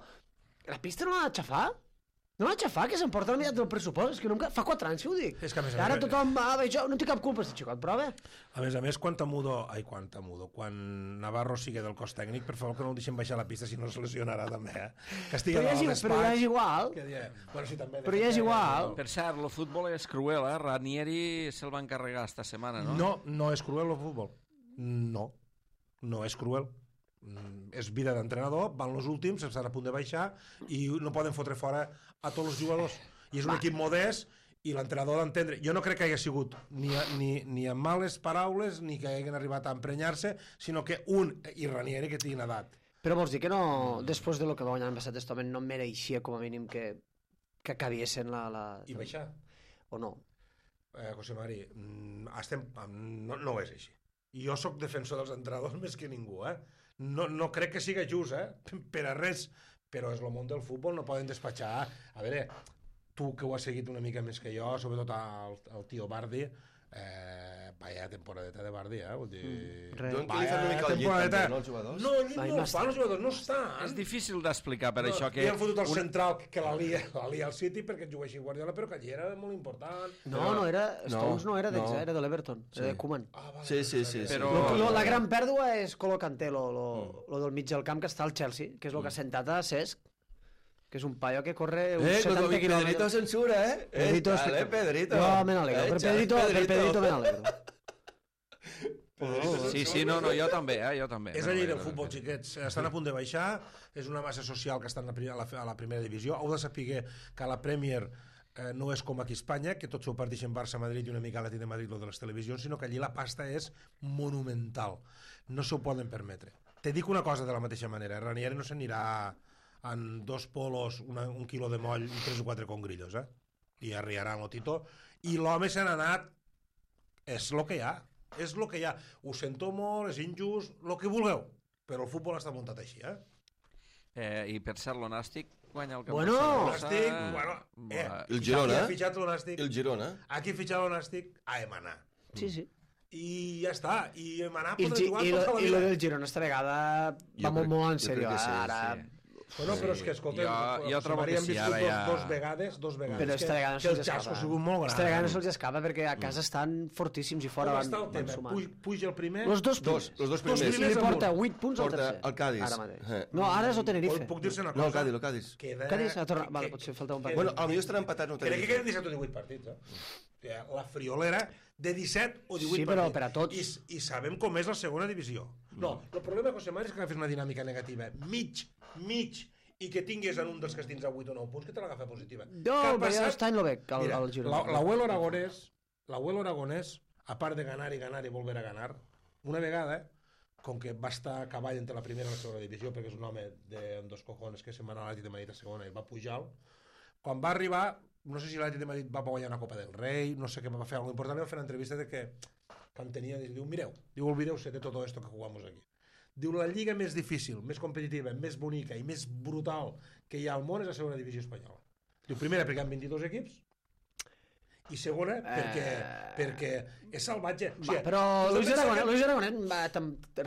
[SPEAKER 5] la pista no l'ha d'aixafar? No l'ha d'aixafar, que s'emporta la meitat del pressupost. És que fa 4 anys que ho dic.
[SPEAKER 3] És que
[SPEAKER 5] ara tothom va, jo no té cap culpa, aquest xicot, però bé.
[SPEAKER 3] A més, quan Navarro sigui del cos tècnic, per favor que no el deixem baixar a la pista, si no es lesionarà també, Que estigui a dalt
[SPEAKER 5] però ja és igual. Però ja és igual.
[SPEAKER 1] Per cert, el futbol és cruel, Ranieri se'l va encarregar esta setmana, no?
[SPEAKER 3] No és cruel el futbol. No és cruel. És vida d'entrenador, van els últims, estan a punt de baixar i no poden fotre fora a tots els jugadors. I és un equip modest i l'entrenador ha d'entendre. Jo no crec que hagi sigut ni amb males paraules ni que hagin arribat a emprenyar-se, sinó que i Ranieri que tinguin edat.
[SPEAKER 5] Però vols dir que no, després de lo que va guanyar l'any passat, este home no mereixia com a mínim que acabiessin la...
[SPEAKER 3] I baixar?
[SPEAKER 5] O no?
[SPEAKER 3] José Mari, no és així. Jo sóc defensor dels entrenadors més que ningú, No crec que siga just, per a res, però és el món del futbol, no poden despatxar. A veure, tu que ho has seguit una mica més que jo, sobretot el tio Bardi, vaya temporadeta de Bardi, vull dir...
[SPEAKER 2] Vaya
[SPEAKER 3] temporadeta... No, el llit no fan, els jugadors no estan.
[SPEAKER 1] És difícil d'explicar per això que...
[SPEAKER 3] Li han fotut el central que la lia al City perquè juguessin Guardiola, però que allí era molt important.
[SPEAKER 5] No era... Stones no era d'ells, era de l'Everton, era de Koeman.
[SPEAKER 2] Sí.
[SPEAKER 5] La gran pèrdua és Colo Kanté, lo del mig del camp que està al Chelsea, que és el que ha sentat a Cesc, que és un paio que corre uns 70 quilòmetres.
[SPEAKER 2] Pedrito censura,
[SPEAKER 5] Pedrito.
[SPEAKER 2] Pedrito.
[SPEAKER 5] Jo me n'alegro. Per Pedrito me n'alegro.
[SPEAKER 1] Sí, no, jo també.
[SPEAKER 3] És la llei del futbol, xiquets. Estan a punt de baixar, és una massa social que estan a la primera divisió. Heu de saber que la Premier no és com aquí a Espanya, que tots s'ho parteixen Barça-Madrid i una mica l'Atlètic de Madrid, lo de les televisions, sinó que allí la pasta és monumental. No s'ho poden permetre. Te dic una cosa de la mateixa manera. Ranieri no s'anirà en 2 polos, un quilo de moll i 3 o 4 congrillos, i arriaran el Tito, i l'home se n'ha anat. És el que hi ha, ho sento molt, és injust, el que vulgueu, però el futbol està muntat així,
[SPEAKER 1] I per cert, l'Onàstic guanya el
[SPEAKER 5] camp.
[SPEAKER 2] El Girona.
[SPEAKER 3] Aquí ha fitxat l'Onàstic.
[SPEAKER 2] El Girona.
[SPEAKER 3] Aquí ha fitxat l'Onàstic a Emanar.
[SPEAKER 5] Sí.
[SPEAKER 3] I ja està, i Emanar podrà jugar
[SPEAKER 5] i lo del Girona esta vegada va molt en sèrio, ara...
[SPEAKER 3] Bueno, però és que, escolta,
[SPEAKER 1] jo trobo que sí, ara ja...
[SPEAKER 3] dos vegades,
[SPEAKER 5] però esta vegada no
[SPEAKER 3] que el xasco ha sigut molt gran.
[SPEAKER 5] Esta vegada no se'ls escapa perquè a casa estan fortíssims i fora van sumant.
[SPEAKER 3] Puja el primer...
[SPEAKER 5] Los dos primers. I li porta 8 punts al tercer.
[SPEAKER 2] El Cádiz.
[SPEAKER 5] Ara mateix. No, ara és el Tenerife.
[SPEAKER 3] Puc dir-se una cosa?
[SPEAKER 2] No, el Cádiz.
[SPEAKER 5] Cádiz ha tornat... Vale, potser falta un partit.
[SPEAKER 2] Bueno, potser estarà empatat.
[SPEAKER 3] Crec que queden 17 o 18 partits, La friolera de 17 o 18 partits.
[SPEAKER 5] Sí, però per a tots.
[SPEAKER 3] I sabem com és la segona divisió. No, el problema de José Mari és que agafes una dinàmica negativa. Mig, i que tingués en un dels que estins a 8 o 9 punts, que te l'agafa positiva.
[SPEAKER 5] No, però ja està en lo bec, el Girona.
[SPEAKER 3] L'Abuelo Aragonès, a part de ganar i volver a ganar, una vegada, com que va estar a cavall entre la primera i la segona divisió, perquè és un home de dos cojones que se'n va anar a l'Atlètic de Madrid a segona i va pujar, quan va arribar, no sé si l'Atlètic de Madrid va guanyar una Copa del Rei, no sé què va fer, alguna important, va fer una entrevista de que quan tenia, diu, mireu, olvideu-se de tot esto que jugamos aquí. Diu, la lliga més difícil, més competitiva, més bonica i més brutal que hi ha al món és la segona divisió espanyola. Diu, primera, perquè hi ha 22 equips, i segona, perquè és salvatge.
[SPEAKER 5] O sigui, però Luis Aragonès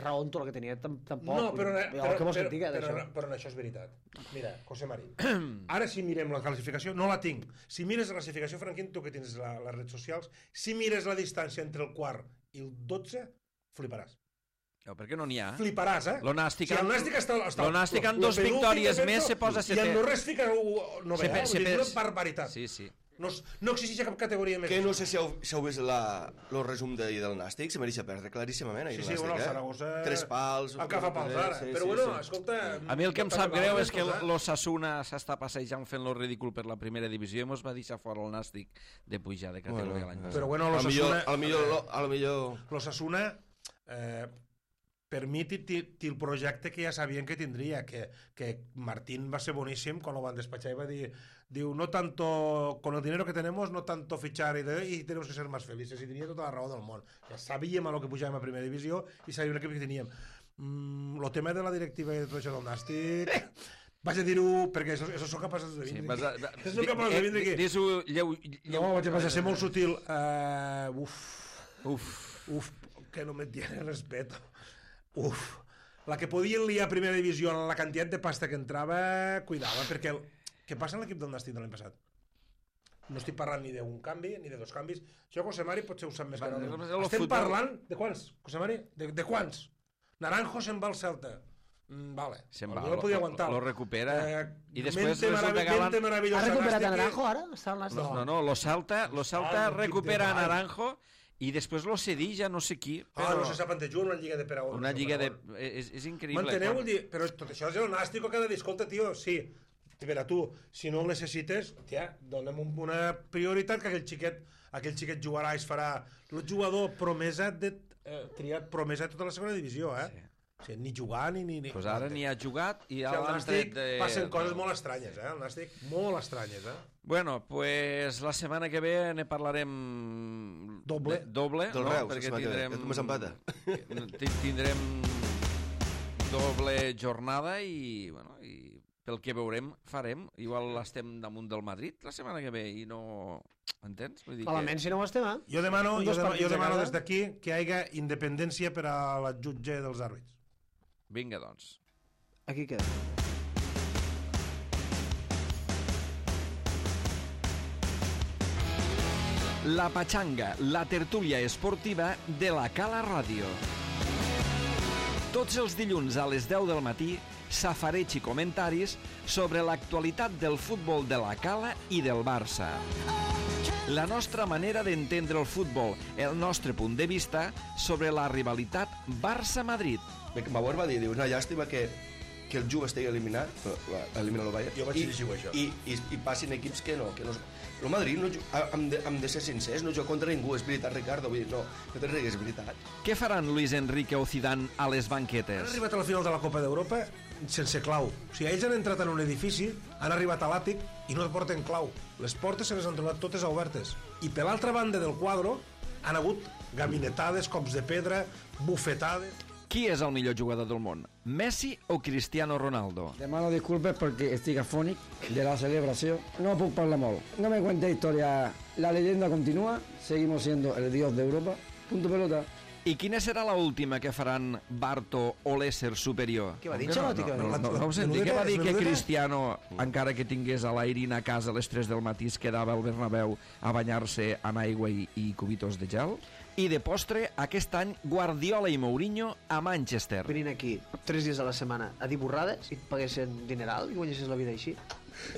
[SPEAKER 5] raó en tot el que tenia, tampoc.
[SPEAKER 3] No, però en això és veritat. Mira, José Mari, ara si mirem la classificació, no la tinc. Si mires la classificació, Franquín, tu que tens les redes socials, si mires la distància entre el quart i el 12, fliparàs.
[SPEAKER 1] No, perquè no n'hi ha.
[SPEAKER 3] Fliparàs,
[SPEAKER 1] L'Nàstic
[SPEAKER 3] amb
[SPEAKER 1] 2 victòries més se posa setè.
[SPEAKER 3] I el Norres fica novè. És una barbaritat.
[SPEAKER 1] Sí.
[SPEAKER 3] No existeix cap categoria més.
[SPEAKER 2] Que no sé si heu vist el resum d'ahir del Nàstic, se mereix perdre claríssimament.
[SPEAKER 3] Sí, bueno, el Saragossa...
[SPEAKER 2] 3 pals...
[SPEAKER 3] El que fa pals ara. Però bueno, escolta...
[SPEAKER 1] A mi el que em sap greu és que l'Osasuna s'està passejant fent-lo ridícul per la primera divisió i mos va deixar fora el Nàstic de pujar de categoria l'any passat.
[SPEAKER 3] Però bueno,
[SPEAKER 2] l'Osasuna...
[SPEAKER 3] L'Osasuna... Per mi té el projecte que ja sabien que tindria, que Martín va ser boníssim quan ho van despatxar i va dir, no tanto, con el dinero que tenemos, no tanto fichar y tenemos que ser más felices, i tenia tota la raó del món. Ja sabíem a lo que pujàvem a primera divisió i sabíem l'equip que teníem. El tema de la directiva i de tot això del Nàstic... Vaig a dir-ho perquè això són capaços de vindre aquí. Això són capaços de vindre aquí.
[SPEAKER 1] Dis-ho
[SPEAKER 3] No, vaig a ser molt sutil. Uf, que no me tiene respeto. La que podien liar a primera divisió en la quantitat de pasta que entrava, cuidava, perquè què passa en l'equip del Nàstic de l'any passat? No estic parlant ni d'un canvi, ni de 2 canvis. Això, José Mari, potser ho sap més que no. Estem parlant de quants, José Mari? De quants? Naranjo se'n va al Celta. Vale.
[SPEAKER 1] Se'n va, lo recupera. I després
[SPEAKER 5] resulta que ha recuperat a Naranjo ara?
[SPEAKER 1] No, lo Celta recupera a Naranjo i després lo cedí ja no sé qui.
[SPEAKER 3] No se sap on te juga, una lliga de Peragón.
[SPEAKER 1] Una lliga de... És increïble.
[SPEAKER 3] M'enteneu? Però tot això és el Nàstic que ha de dir, escolta, tio, sí, per a tu, si no el necessites, tia, dona'm una prioritat que aquell xiquet jugarà i es farà el jugador promesa triat promesa de tota la segona divisió,
[SPEAKER 1] Sí.
[SPEAKER 3] O sigui, ni jugar ni...
[SPEAKER 1] Pues ara ni ha jugat i
[SPEAKER 3] al Nàstic passen coses molt estranyes, el Nàstic, molt estranyes,
[SPEAKER 1] Bueno, pues la setmana que ve ne parlarem
[SPEAKER 3] doble,
[SPEAKER 2] del Reus, perquè
[SPEAKER 1] tindrem doble jornada i pel que veurem farem, igual estem damunt del Madrid la setmana que ve i no... Entens?
[SPEAKER 5] Malament si no ho estem,
[SPEAKER 3] Jo demano des d'aquí que hi hagi independència per a la jutge dels àrbits.
[SPEAKER 1] Vinga, doncs.
[SPEAKER 5] Aquí queda.
[SPEAKER 1] La Pachanga, la tertúlia esportiva de la Cala Ràdio. Tots els dilluns a les 10 del matí, safareig i comentaris sobre l'actualitat del futbol de la Cala i del Barça. La nostra manera d'entendre el futbol, el nostre punt de vista sobre la rivalitat Barça-Madrid.
[SPEAKER 2] Bauer va dir, una llàstima que el Juve estigui eliminat, elimina el Bayern,
[SPEAKER 3] jo vaig dir això.
[SPEAKER 2] I passin equips que no. El Madrid, hem de ser sincers, no juga contra ningú, és veritat, Ricardo, vull dir, no te rigues, és veritat.
[SPEAKER 1] Què faran Luis Enrique o Zidane a les banquetes?
[SPEAKER 3] Han arribat a la final de la Copa d'Europa sense clau. O sigui, ells han entrat en un edifici, han arribat a l'àtic i no porten clau. Les portes se les han trobat totes obertes. I per l'altra banda del quadre han hagut gabinetades, cops de pedra, bufetades...
[SPEAKER 1] Qui és el millor jugador del món? Messi o Cristiano Ronaldo?
[SPEAKER 4] Demano disculpes perquè estic afònic de la celebració. No puc parlar molt. No me cuente historia. La leyenda continúa. Seguimos siendo el dios de Europa. Punto pelota.
[SPEAKER 1] I quina serà l'última que faran Barto o l'ésser superior?
[SPEAKER 5] Què va dir Ancelotti?
[SPEAKER 1] No ho senti. Què va dir que Cristiano, encara que tingués a l'Airin a casa a les 3 del matí, es quedava al Bernabéu a banyar-se en aigua i cubitos de gel? I de postre, aquest any, Guardiola i Mourinho a Manchester.
[SPEAKER 5] Venint aquí 3 dies a la setmana a dir borrades i et paguessin dineral i guanyessis la vida així.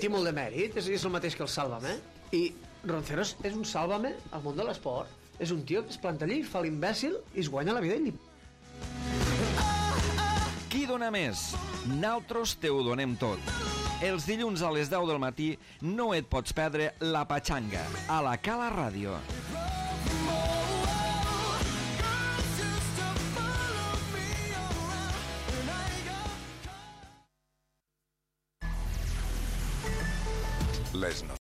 [SPEAKER 5] Té molt de mèrit, és el mateix que el Sálvame. I Ronceros és un Sálvame al món de l'esport. És un tio que es planta allí, fa l'imbècil i es guanya la vida ell.
[SPEAKER 1] Qui dona més? Naltros te ho donem tot. Els dilluns a les 10 del matí no et pots perdre La Pachanga a la Cala Ràdio.
[SPEAKER 6] Les